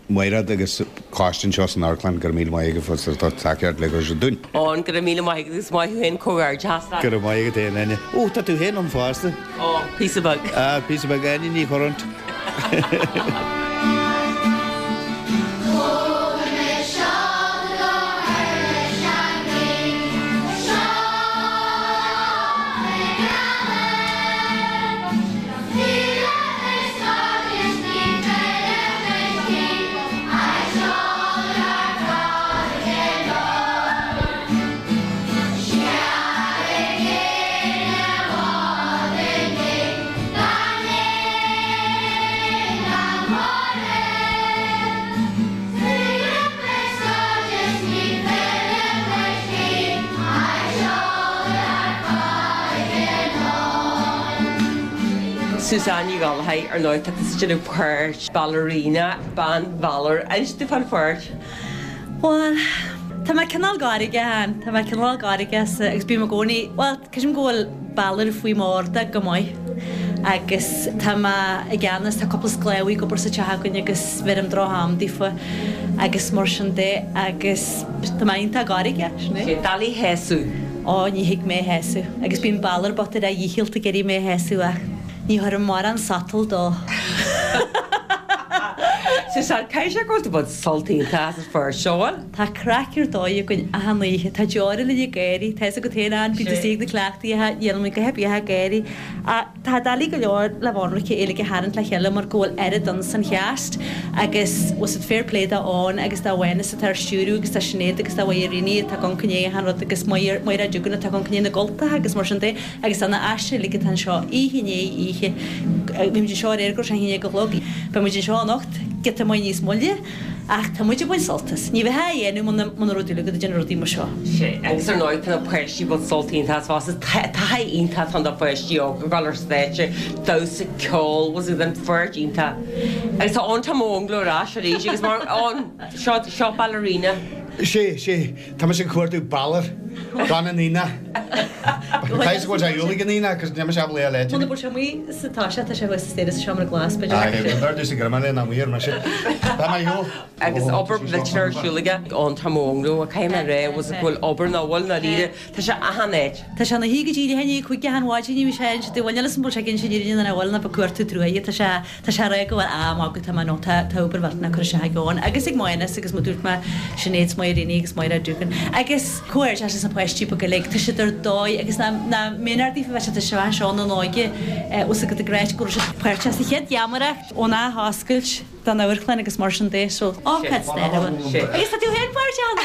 Mairéad agus coiste anseo san amharclann, go raibh míle maith agaibh as ucht tacaíocht a thabhairt dúinn. Eoin, go raibh míle maith agat agus maith thú féin, comhghairdeachas leat. Go raibh maith agat féin, Áine. Ó, tá tú féin ann fosta. Ó, píosa beag. Ah, píosa beag, Áine Ní Churráin. Suzanne Ní Ghallchóir, ar ndóigh, tá tusa ag déanamh páirt ballerina, bean Bhalor. Inis domh fán pháirt. Bhuel, tá mé cineál gairge ann, tá mé cineál gairge agus bím i gcónaí, bhuel, creidim go bhfuil Balor faoi m'ordach go maith agus tá mé i gceannas, tá cúpla sclábhaí ag obair sa teach againn agus bheirim droch-am daofa agus mar sin de agus tá mé iontach gairge, sin é. Sé doiligh a shásamh. Ó, ní thig mé a shásamh agus bíonn Balor bocht ar a dhícheall ag iarraidh mé a shásamh ach ní chuirim mórán sotal dó. Suzanne, caithfidh sé go bhfuil tú ag baint sult iontach as an pháirt seo, bhfuil? Tá craic ar dóigh againn achan oíche. Tá deora linn ag gáirí. Tá fhios agat féin, Ann, bíonn tú istigh ag na cleachtaí a dhéanann muid go happy ag gáirí. Ach tá doiligh go leor le mhonarcha uilig a tharraingt le chéile mar go bhfuil oiread ann san cheast agus was it fair play do Eoin agus do Mhánas atá ar stiúradh agus do Sinéad agus do Mháire Reaney atá ag amharc i ndiaidh achan rud agus Máire Máire Duggan atá ag amharc i ndiaidh na gcultacha agus mar sin de agus do na aisteoirí uilig atá anseo oíche i ndiaidh oíche. Bhí muid anseo aréir go raibh sé a haon déag a chlog. Beidh muid anseo anocht giota maith níos moille. Ach tá muid ag baint sult as. Ní bheifeá á dhéanamh muna muna raibh dúil agat ag déanamh rudaí mar seo. Sea, agus ar ndóigh tá na páistí ag baint sult iontach as fosta. Taithí iontach atá ann do pháistí óga ag dul ar stáitse, damhsa, ceol, was it an pháirt iontach. Agus tá Eoin Tom Ó Fhionnghaile ar ais arís agus mar Eoin, seo, seo ballerina. Sea, sea, tá mise ag cuartú Balor gan an aonach. Caithfidh go bhfuil sé ar shiúl ag an aonach cos níl mise ábalta é a leithéid. Muna bhfuil sé amuigh sa toiseach tá sé thuas sa staighre sa seomra glas b'fhéidir. Aye, b'fhearr domhsa go raibh mé ná amuigh ar mise. Tá mé ar shiúl. Agus obair mhillteanach ar siúl aige Eoin Tom Ó Fhionnghaile, caithfidh mé a rá, was it go bhfuil obair ná bhfuil ndáiríre, tá sé achan áit. Tá sé ina shuí go díreach i ndiaidh 5 achan mhaidin, ní bhí sé inse dúinn, níl 'fhios a'm bhfuil sé ag inse an fhírinne nó nach bhfuil, ná ag cuartú truaighe, tá sé Tá sé ag rá go bhfuil am agat, tá mé nó tá tá obair mhillteanach curtha isteach ag Eoin agus ag Mánas agus mar dúirt mé Sinéad 's Máire Reaney agus Máire Duggan agus comhghairdeas. agus na páistí beaga uilig, tá siad ar dóigh agus nach méanar daofa bheith siad anseo anseo ina n-óige os ag ag ráit go raibh siad páirteach sa chéad gheamaireacht ón athoscailt den amharclann agus mar sin de so ócáid stairiúil. Agus tá tú féin páirteach ann!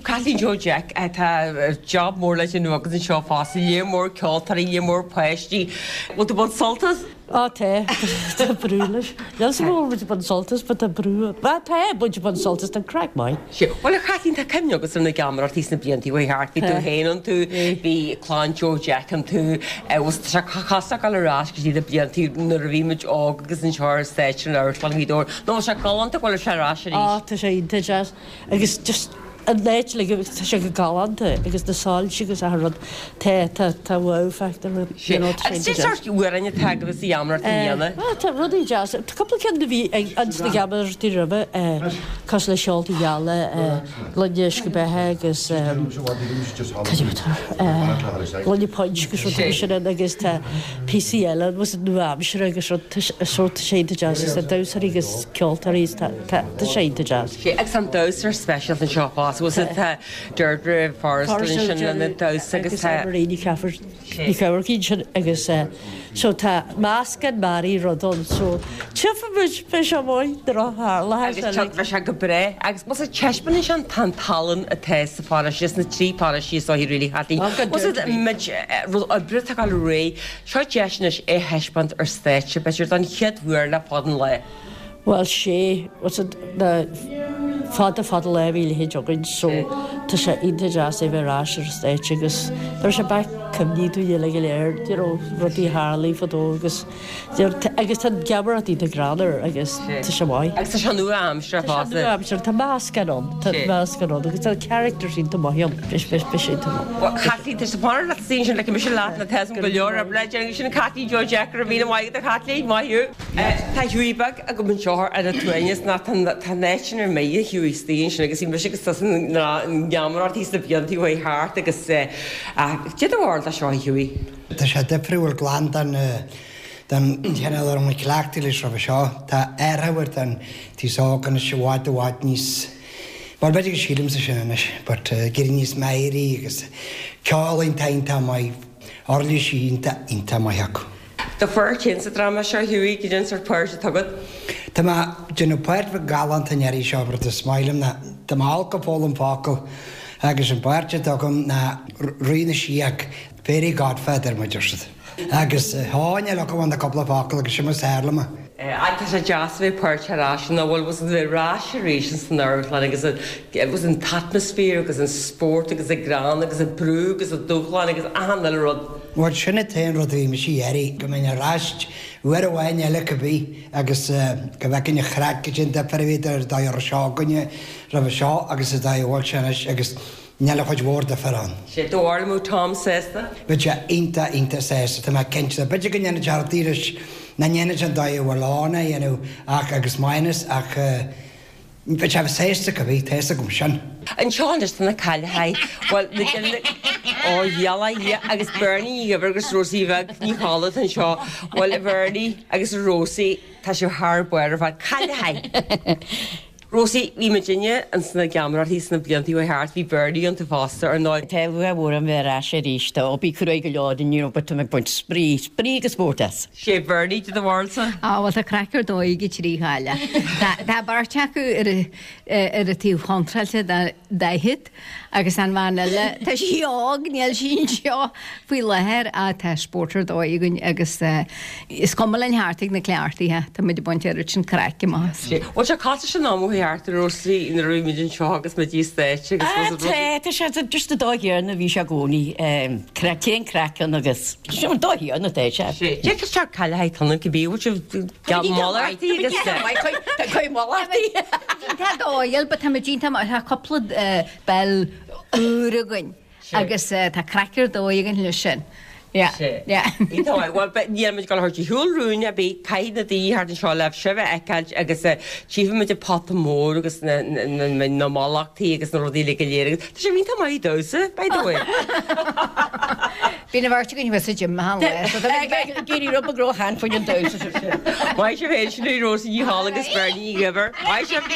Caitlín Joe Jeaic, tá job mór le déanamh agat anseo fosta, léar mór ceoltóirí, léar mór páistí. Bhfuil tú ag baint sult as? Á tá, tá brú leis. Níl 's agam an bhfuil muid ag baint sult as but tá brú, bhuel tá muid ag baint sult as, tá an craic maith. Sea, bhuel a Chaitlín tá cuimhne agat ar na geamaireachtaí sna blianta a chuaigh thart, bhí tú féin iontu, bhí clann Joe Jeaic iontu, bhuel tá sé cosúil le dul ar ais go dtí na blianta nuair a bhí muid óg agus anseo ar stáitse in Amharclann Ghaoth Dobhair, nó bhfuil sé galánta go bhfuil sé ar ais arís? Á tá sé iontach deas agus just an áit like tá sé go galánta agus na soilse agus achan rud tá tá tá wow factor you know tá sé Agus cén sórt amhráin atá agaibh sa gheamaireacht i mbliana? Bhuel tá rudaí deasa tá cúpla ceann a bhí ag ins na geamaireachtaí roimhe cosúil le Seolta Geala Gloine Uisce Beatha agus cad é atá Gloine Punch agus rudaí mar sin ann agus tá píosaí eile ann was nua-aimseartha agus rud tá so tá sé iontach deas agus tá damhsóirí agus ceoltóirí tá tá sé iontach deas. Sea, agus an damhsóir speisialta anseo fosta, bhfuil 's tá Deirdre Forristal ansin lena damhsa agus tá. Agus Marie Ní Cheallaigh ansin agus so tá meascán mearaí rud ann so tchífidh muid, beidh sé maith nuair a tharlóidh sé. Agus beidh sé go breá agus bhfuil 's taispeánann sé an tallann atá sa pharóiste, sna trí pharóistí is dóichí really Chaitlín. Bhfuil 's muid rud oibre atá ag dul ar aghaidh, seo deis anois é a thaispeáint ar stáitse b'fhéidir don chéad uair le fada an lá. Bhuel sé, what's it, na fada fada lá a bhí a leithéid againn so tá sé iontach deas é bheith ar ais ar an stáitse agus tabharfaidh sé back cuimhní dúinn uilig go léir, you know, rudaí a tharlaigh fadó agus you know, agus tá an gheamaireacht iontach greannmhar agus tá sé maith. Agus tá sé nua-aimseartha fosta. Tá sé nua-aimseartha, tá meascán ann, tá meascán ann agus tá characters iontach maith ann, beidh sé iontach maith. Bhuel Caitlín, tá sé fanacht leat ansin, like mise leat na tá go leor oibre le déanamh sin Caitlín Joe Jeaic, go raibh míle maith agat a Chaitlín, maith thú. Tá Hughie beag agam anseo ar an tsuaimhneas ná tá an áit sin ar mire, Hughie istigh ansin agus bhí mise agus tusa na ngeamaireachtaí sna blianta a chuaigh thart agus cad é do bharúil de seo, a Hughie? Tá sé difriúil glan den den chineál a raibh muid cleachtaithe leis roimhe seo. Tá athrú ar den taos óg anois i bhfad i bhfad níos, bhuel b'fhéidir go sílimse sin anois, but ag éirí níos meidhrí agus ceol iontach iontach maith, uirlisí iontach iontach maith acu. Do pháirt féin sa dráma seo, Hughie, cad é an sórt páirt atá agat? Tá mé ag déanamh páirt bheag galánta an iarraidh seo, rud is maith liom ná tá mé olc ag foghlaim focal agus an pháirt atá agam ná Rí na Síog, Fairy Godfather mar a deir siad. Agus thá, níl agam ach na cúpla focal agus sin mar is fearr liom é. Ach tá sé deas a bheith páirteach ar ais, nach bhfuil, was a bheith ar ais arís ins an amharclann agus an, was an t-atmaisféar agus an spórt agus an greann agus an brú agus an dúshlán agus achan uile rud. Bhuel, sin an t-aon rud a bhí mise ag iarraidh, go mbeinn ar ais uair amháin eile cibé agus go bhfeicfinn an chraic, cad é an difear a bhí idir an dóigh a raibh seo againne roimhe seo agus an dóigh a bhfuil sé anois agus níl aon chuid mhór difear ann. Sé do bharúil an mbeadh Tom sásta? Bheadh sé iontach, iontach sásta, tá mé cinnte. B'fhéidir go ndéanfadh sé rudaí leis nach ndéanfadh sé an dóigh a bhfuil ann a dhéanamh ach agus Maghnus ach Bheadh sé sásta cibé, tá fhios agam sin. Anseo anois tá na cailleachaí, bhuel, na gile, ó gheala Dhia, agus Bernie Ní Dhuibhir agus Rosie Bheag Ní Cholla atá anseo. Bhuel, a Bhernie agus a Rosie, tá sibh thar barr ar fad. Cailleachaí! Rosie, bhí muidinne ins na geamaireachtaí sna blianta a chuaigh thart, bhí Bernie iontu fosta, ar ndóigh. Tá lúcháir mhór orm bheith ar ais arís. Tá obair cruaidh go leor inniu but tá mé ag baint spraoi, spraoi agus spórt as. Sé Bernie cad é do bharúilsa. Á bhuel tá craic ar dóigh ag an trí chailleach. Tá beirt acu ar ar an taobh chontráilte den daichead agus an bhean eile, tá sí óg, níl sí anseo faoi láthair ach tá spórt ar dóigh againn agus is cuma linn thart ag na cleachtaithe, tá muid ag baint oiread sin craic amach as. Bhfuil sé cosúil leis an am ó chuaigh thart a Rosie nuair a bhí muid anseo agus muid ar stáitse agus Tá, tá sé just an dóigh chéanna a bhí sé i gcónaí, craic, téann craic ann agus sin an dóigh chéanna atá sé. Cé go seo cailleachaí ionann cibé bhfuil sibh Tá mallachtaí agus Tá cuid mallachtaí. Tá dóigh, but tá muid iontach maith, tá cúpla ball úr againn agus tá craic ar dóigh againn leis sin. Yeah, yeah. Iontach maith. Bhuel, níl muid ag dul a thabhairt ar shiúl rúin ar bith, caithfidh na daoine thart anseo le sibh a fheiceáilt agus tchífidh muid an pota mór agus na mallachtaí agus na rudaí uilig go léir agus tá sibh iontach maith ag damhsa, by the way. Bíonn an bheirt againn thuas sa gym achan lá so tá muid ag iarraidh rud beag róshean faoin an damhsa sin. Maith sibh féin, sin í Rósa Ní Cholla agus Bernie Ní Dhuibhir. Maith sibh!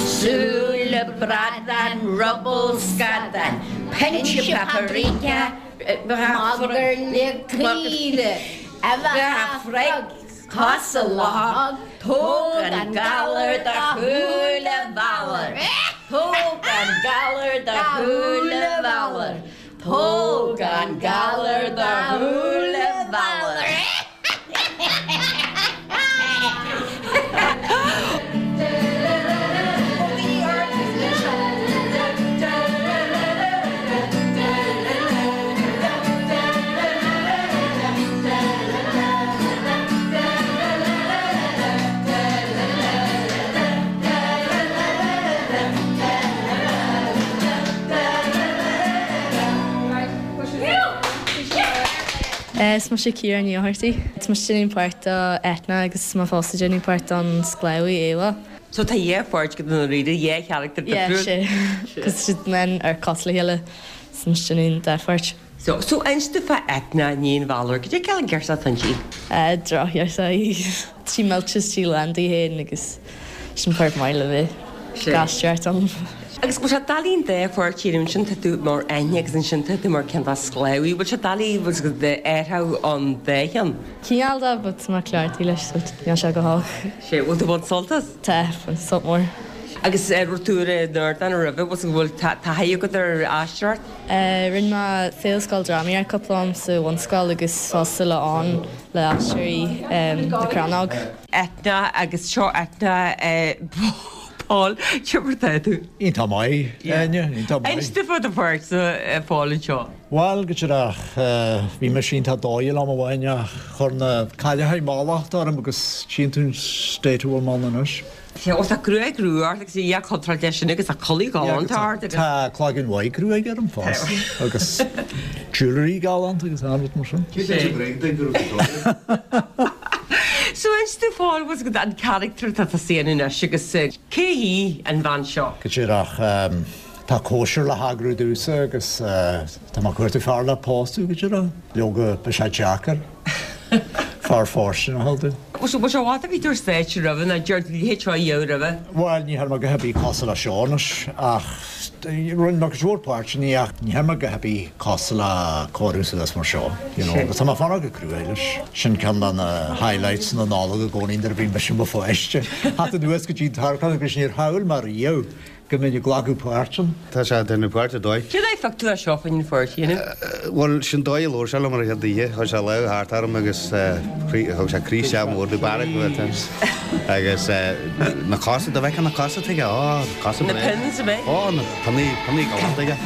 Súil. Buille bradán, ruball scadán, pinse paprika, Magairle caoire, uibheacha frog, cosa luchóg, tóg an galar do shúile Bhalair, tóg an galar do shúile Bhalair, tóg an galar do shúile Bhalair. Is mise Ciara Ní Fháthartaigh. Tá mise ag déanamh páirt do Eithne agus mé fosta ag déanamh páirt don sclábhaí Éabha. So tá dhá pháirt agat i ndáiríre, dhá charachtar Yeah, difriúil. sé. Cos siad men ar cosúil le chéile so mise ag déanamh an dá pháirt. So, so inis domh fá Eithne, iníon Bhalair, cad é cineál girseach atá inti? Drochghirseach í. Tá sí millte is sí lán di féin agus sin páirt maith le bheith ag aisteoireacht ann. Agus bhfuil sé doiligh an dá pháirt a dhéanamh, ansin tá tú mar Eithne agus ansin tá tú mar ceann dá sclábhaí, bhfuil sé doiligh bhfuil sé athrú an dá cheann? Cineál de but tá mé cleachtaithe leis so níl sé go holc. Sé, bhfuil tú ag baint sult as? Tá, baint sult mór. Agus raibh tú ar an ardán roimhe, bhfuil taithí agat ar aisteoireacht? Rinne mé Féile Scoile Drámaíocht cúpla am sa bhunscoil agus fosta le ann le Aisteoirí na Crannóg. Eithne agus seo Eithne Paul, cé mar atá tú? Iontach maith, Áine, iontach maith. Inis domh fá do pháirt a Phóil anseo. Bhuel, go díreach, bhí mise iontach dóighiúil am amháin ach chuir na cailleacha mallacht orm agus tchíonn tú an state a bhfuil mé ann anois. Sea, ó tá gruaig rua ort agus a dhath contráilte leis sin agus tá culaith ghalánta ort agus. Tá cloigeann mhaith gruaige orm fosta agus jewellery galánta agus achan rud mar sin. Cé duit a bhréag duit go raibh tú dóighiúil? So inis domh a Phóil bhfuil fhios agat an charachtar atá tusa a dhéanamh anois agus cé hí an bhean seo? Go díreach, tá cóisir le heagrú domhsa agus tá mé ag cuartú fear le pósadh, go díreach. Leoga, beidh sé deacair fear fóirsteanach a fháil domh. Bhfuil sé i bhfad a bhí tú ar stáitse roimhe nó deir tú leithéid seo a dhéanamh roimhe? Bhuel, ní thearn mé a dhath ar bith cosúil le seo anois ach rinne mé cuid mhór páirteanna ach ní thearn mé a dhath ar bith cosúil le cóiriú suas mar seo, you know, agus tá mé ag fanacht go cruaidh leis. Sin ceann de na highlights na Nollag i gcónaí nuair a bhí mise i mo pháiste. Theacht anuas go dtí an t-amharclann agus níor shamhail mé riamh go mbeinn ag glacadh páirt ann. Tá sé ag déanamh páirt ar dóigh. Cén fháth a phioc tú é seo chun an pháirt a dhéanamh? Bhuel, sin dóigh a labhair sé liom ar an chéad oíche. Chuir sé lámh thart orm agus thug sé croí isteach mór domh, bearradh go agus na cosa, dá bhfeicfeá na cosa atá aige, ó, cosa Na pins, ab ea? Ó, na pionnaí, pionnaí galánta aige.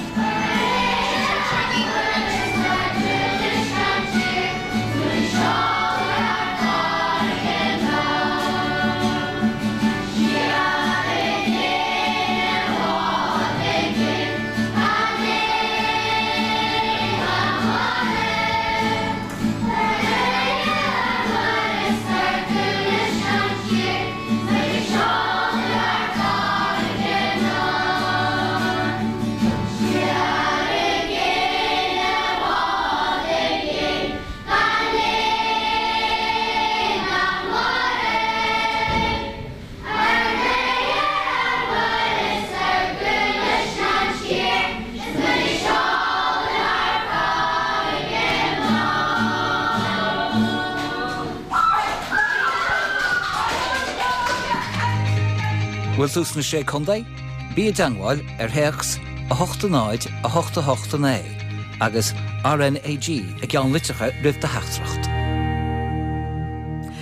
Bhfuil tú sna Sé Contae? Bí i dteangmháil ar théacs 8 0 8 8 9 agus RNAG i gceannlitreacha roimh do theachtaireacht.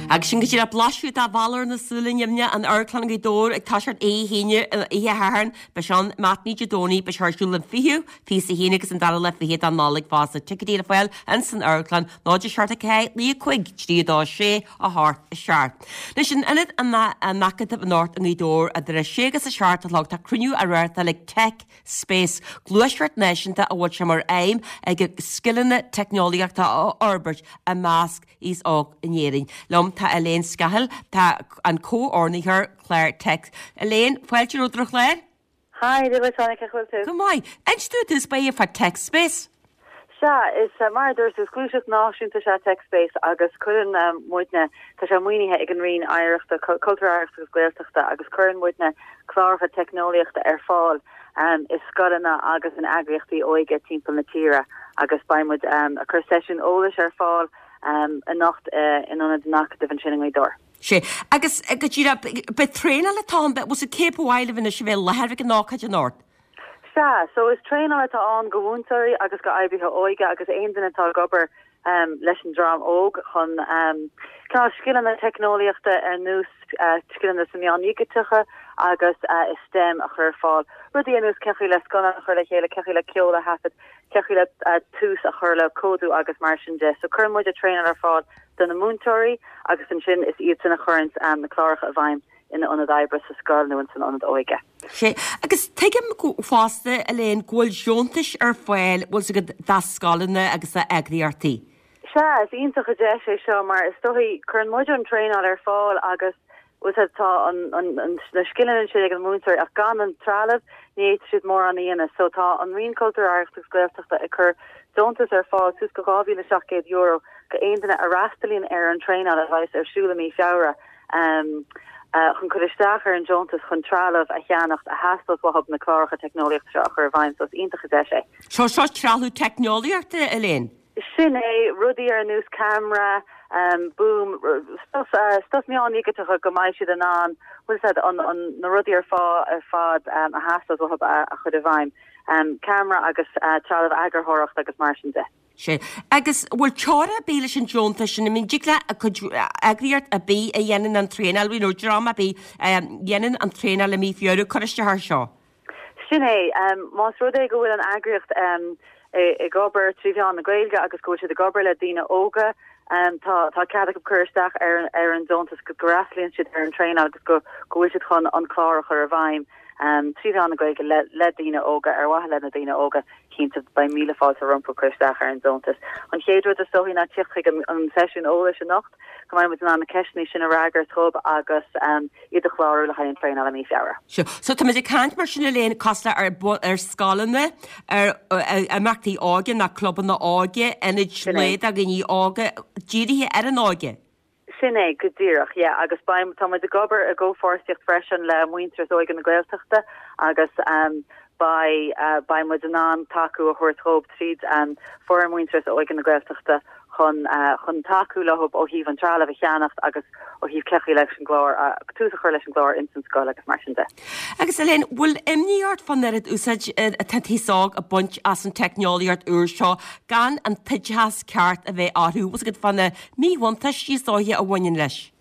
Agus sin go díreach blaiseadh de Bhalor na Súile Nimhne, in Amharclann Ghaoth Dobhair ag toiseacht oíche hAoine, oíche Shathairn, beidh sé ann matinee Dé Domhnaigh, beidh sé ar siúl an 20ú, 21 agus an dara lá fichead de Nollaig fosta. Ticéidí le fáil ins an amharclann, 0 7 4 9 5 3 2 6 8 7. Anois in Ionad an Acadaimh anocht i nGaoth Dobhair idir a 6 agus a 7 a chlog tá cruinniú á reáchtáil ag Tech Space, gluaiseacht náisiúnta a bhfuil sé mar aidhm aige scileanna teicneolaíochta a fhorbairt i measc aos óg in Éirinn. Liom tá Elaine Scahill, tá an comhordaitheoir clár Tech. Elaine, fáilte romhat ar an chlár. Hi, Dia duit, Áine, cén chaoi a bhfuil tú? Go maith. Inis domh i dtús báire fá Tech Space. Sea, is mar a dúirt tú, is gluaiseacht náisiúnta is ea TechSpace agus cuireann muidne, tá sé maoinithe ag an Roinn Oidhreachta, Cultúir, Oidhreachta agus Gaeltachta agus cuireann muidne cláracha teicneolaíochta ar fáil i scoileanna agus in eagraíochtaí óige timpeall na tíre agus beidh muid ag cur seisiún eolais ar fáil anocht in Ionad an Acadaimh ansin i nGaoth Dobhair. Sea, agus go díreach, beidh traenáil atá ann, bhfuil sé cé ba mhaith libh anois a bheith i láthair ag an ócáid anocht? Sea, so is traenáil atá ann go mhúinteoirí agus go oibrithe óige agus aon duine atá ag obair leis an dream óg chun cineál scileanna teicneolaíochta ar nós scileanna sna meáin dhigiteacha agus i STEM a chur ar fáil. Rudaí ar nós cén chaoi le scannán a chur le chéile, cén chaoi le ceol a thaifead, cén chaoi le tús a chur le códú agus mar sin de. So cuireann muid traenáil ar fáil do na múinteoirí agus ansin is iadsan a chuireanns na cláracha i bhfeidhm ina ionad oibre sa scoil nó ins an ionad óige. Sea, agus tuigim fosta, Elaine, go bhfuil deontais ar fáil, bhfuil 's agat, do scoileanna agus do eagraíochtaí. Sea, is iontach an deis é seo mar is dóichí, cuireann muid an traenáil ar fáil agus, bhfuil 's agat, tá an, an, an, na scileanna ansin ag an múinteoirí ach gan an trealamh ní fhéadfaidh siad mórán a dhéanamh. So tá an Roinn Cultúir, Oidhreachta agus Gaeltachta ag cur deontas ar fáil suas go €2,700 go aon duine a fhreastalaíonn ar an traenáil a bheas ar siúl i mí Feabhra. chun cur isteach ar an deontas chun trealamh a cheannacht a theastós uathub na cláracha teicneolaíochta seo a chur i bhfeidhm so is iontach an deis é. So seo trealamh teicneolaíochta, Elaine? Sin é, rudaí ar nós ceamara, boom, stuff, stuff meáin dhigiteacha go mbeidh siad in ann, bhfuil 's a'd, an, an, na rudaí ar fá, ar fad a theastós uathub a, a chur i bhfeidhm. Ceamara agus trealamh eagarthóireachta agus mar sin de. Sea. Agus bhfuil teora ar bith leis an deontas sin? I mean, dtig le cuid eagraíocht ar bith a dhéanann an traenáil, you know, dream ar bith a dhéanann an traenáil i mí Feabhra cur isteach air seo? Sin é. Más rud é go bhfuil an eagraíocht ag obair trí mheán na Gaeilge agus go bhfuil siad ag obair le daoine óga, tá tá cead acu cur isteach ar ar an deontas go bhfreastalaíonn siad ar an traenáil agus go go bhfuil siad chun an clár a chur i bhfeidhm trí mheán na Gaeilge le le daoine óga, ar mhaithe le na daoine óga. Cinnte, beidh míle fáilte rompu cur isteach ar an deontas. An chéad rud is dóichí ná tíocht chuig an seisiún eolais anocht, go mbeidh muid in ann na ceisteanna sin a fhreagairt dhóibh agus iad a chlárú le haghaidh an traenáil i mí Feabhra. Sure. So tá muid ag caint mar sin Elaine, cosúil le ar, ar scoileanna, ar imeachtaí óige nó clubanna óige, ionaid lae do dhaoine óga, dírithe ar an óige. Sin é go díreach, yeah, agus beidh, tá muid ag obair i gcomhpháirtíocht freisin le Muintearas Óige na Gaeltachta agus beidh, beidh muid in ann tacú a thabhairt dhóibh tríd foireann Muintearas Óige na Gaeltachta chun, chun tacú leo ó thaobh an trealamh a cheannacht agus ó thaobh cén chaoi leis an gclár, tús a chur leis an gclár ins an scoil agus mar sin de. Agus Elaine, bhfuil imní ort fán oiread úsáid atá an t-aos óg ag baint as an teicneolaíocht úr seo gan an t-oideachas ceart a bheith orthu, bhfuil 's agat fá na míbhuntáistí is dóiche a bhaineann leis.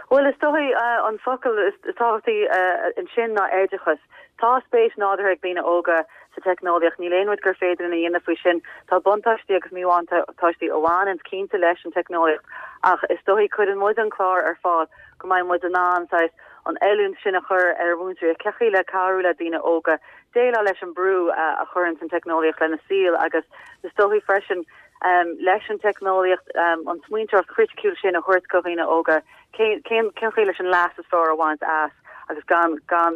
Bhuel, is dóigh an focal is tábhachtaí ansin ná oideachas. Tá spéis nádúrtha ag daoine óga sa teicneolaíocht, níl aon rud gur féidir linn a dhéanamh faoi sin. Tá buntáistí agus míbhuntáistí a bhaineanns cinnte leis an teicneolaíocht ach is dóigh cuireann muid an clár ar fáil go mbeidh muid in ann saghas an oiliúint sin a chur ar mhúinteoirí cén chaoi le cabhrú le daoine óga déileáil leis an brú a chuireanns an teicneolaíocht lena saol agus is dóigh freisin leis an teicneolaíocht, an smaointeoireacht chriticiúil sin a thabhairt go dhaoine óga, cén cén chaoi leis an leas is fearr a bhaint as agus gan gan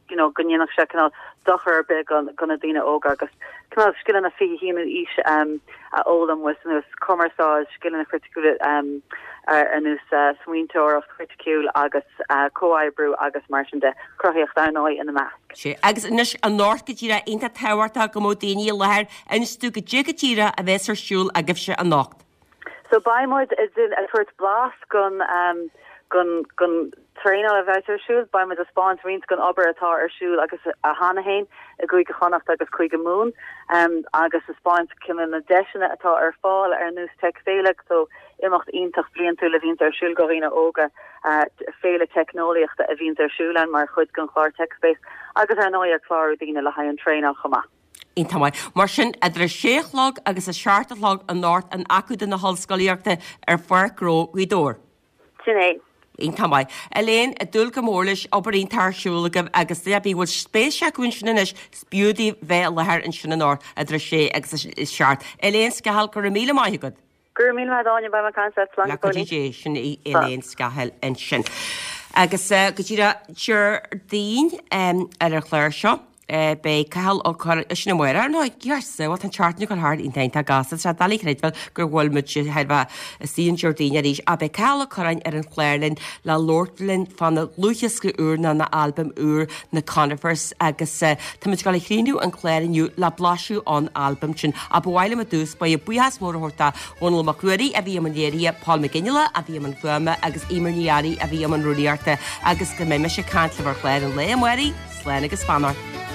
you know go ndéanfadh sé cineál dochar ar bith go go na daoine óga agus cineál scileanna 21ú aois a fhoghlaim ar nós cumarsáid, scileanna criticiúla ar nós smaointeoireacht chriticiúil agus comhoibriú agus mar sin de, cruthaíocht ar ndóigh ina measc. Sea, agus anois anocht go díreach iontach tábhachtach go mbeadh daoine i láthair, inis dúinn goidé go díreach a bheas ar siúl agaibhse anocht. So beidh muid ag tabhairt blas gon gon gon traenáil a bheas ar siúl, beidh muid ag spáint roinnt gon obair atá ar siúl agus cheana féin i gCúige Chonnacht agus Cúige Mumhan agus ag spáint cineál na deiseanna atá ar fáil ar nós Tech Féile, so imeacht iontach bliantúil a bhíonns ar siúl go dhaoine óga, féile teicneolaíochta a bhíonns ar siúl ann mar chuid den chlár TechSpace agus ar ndóigh ag clárú daoine le haghaidh an traenáil chomh maith. Iontach maith. Mar sin, idir a sé a chlog agus a seacht a chlog anocht in Acadamh na hOllscolaíochta ar Pháirc Ghnó Ghaoth Dobhair. Sin é. Iontach maith. Elaine, ag dúil go mór leis, obair iontach ar siúl agaibh agus duine ar bith a bhfuil spéis acu ansin anois, is b'fhiú daoibh bheith i láthair ansin anocht idir a sé agus a seacht. Elaine Scahill, go raibh míle maith agat. Go raibh míle maith agat Áine, beidh mé ag caint leat, slán go fóillín. Dé, sin í Elaine Scahill ansin. Agus go díreach Déardaoin ar an chlár seo. Beidh Cathal Ó Curráin, sin amárach ar ndóigh, yes, bhuel tá an tseachtain ag dul thart iontach iontach gasta, tá sé doiligh a chreidbheáil go bhfuil muid thar bheith istigh an Déardaoin arís ach beidh Cathal Ó Curráin ar an chlár linn le labhairt linn fána dhlúthdhiosca úr nó na albam úr Na Conifers agus táimid ag dul a chríochnú an clár inniu le blaiseadh ón albam sin. Ach ba mhaith liom i dtús báire buíochas mór a thabhairt do Dhónall Mac Ruairí a bhí i mbun léirithe, Paul Mac Fhionnghaile a bhí i mbun fuaime agus Eimear Ní Fhearraigh a bhí i mbun rúnaíochta agus go mbeidh mise ag caint libh ar chlár an lae amárach, slán agus beannacht.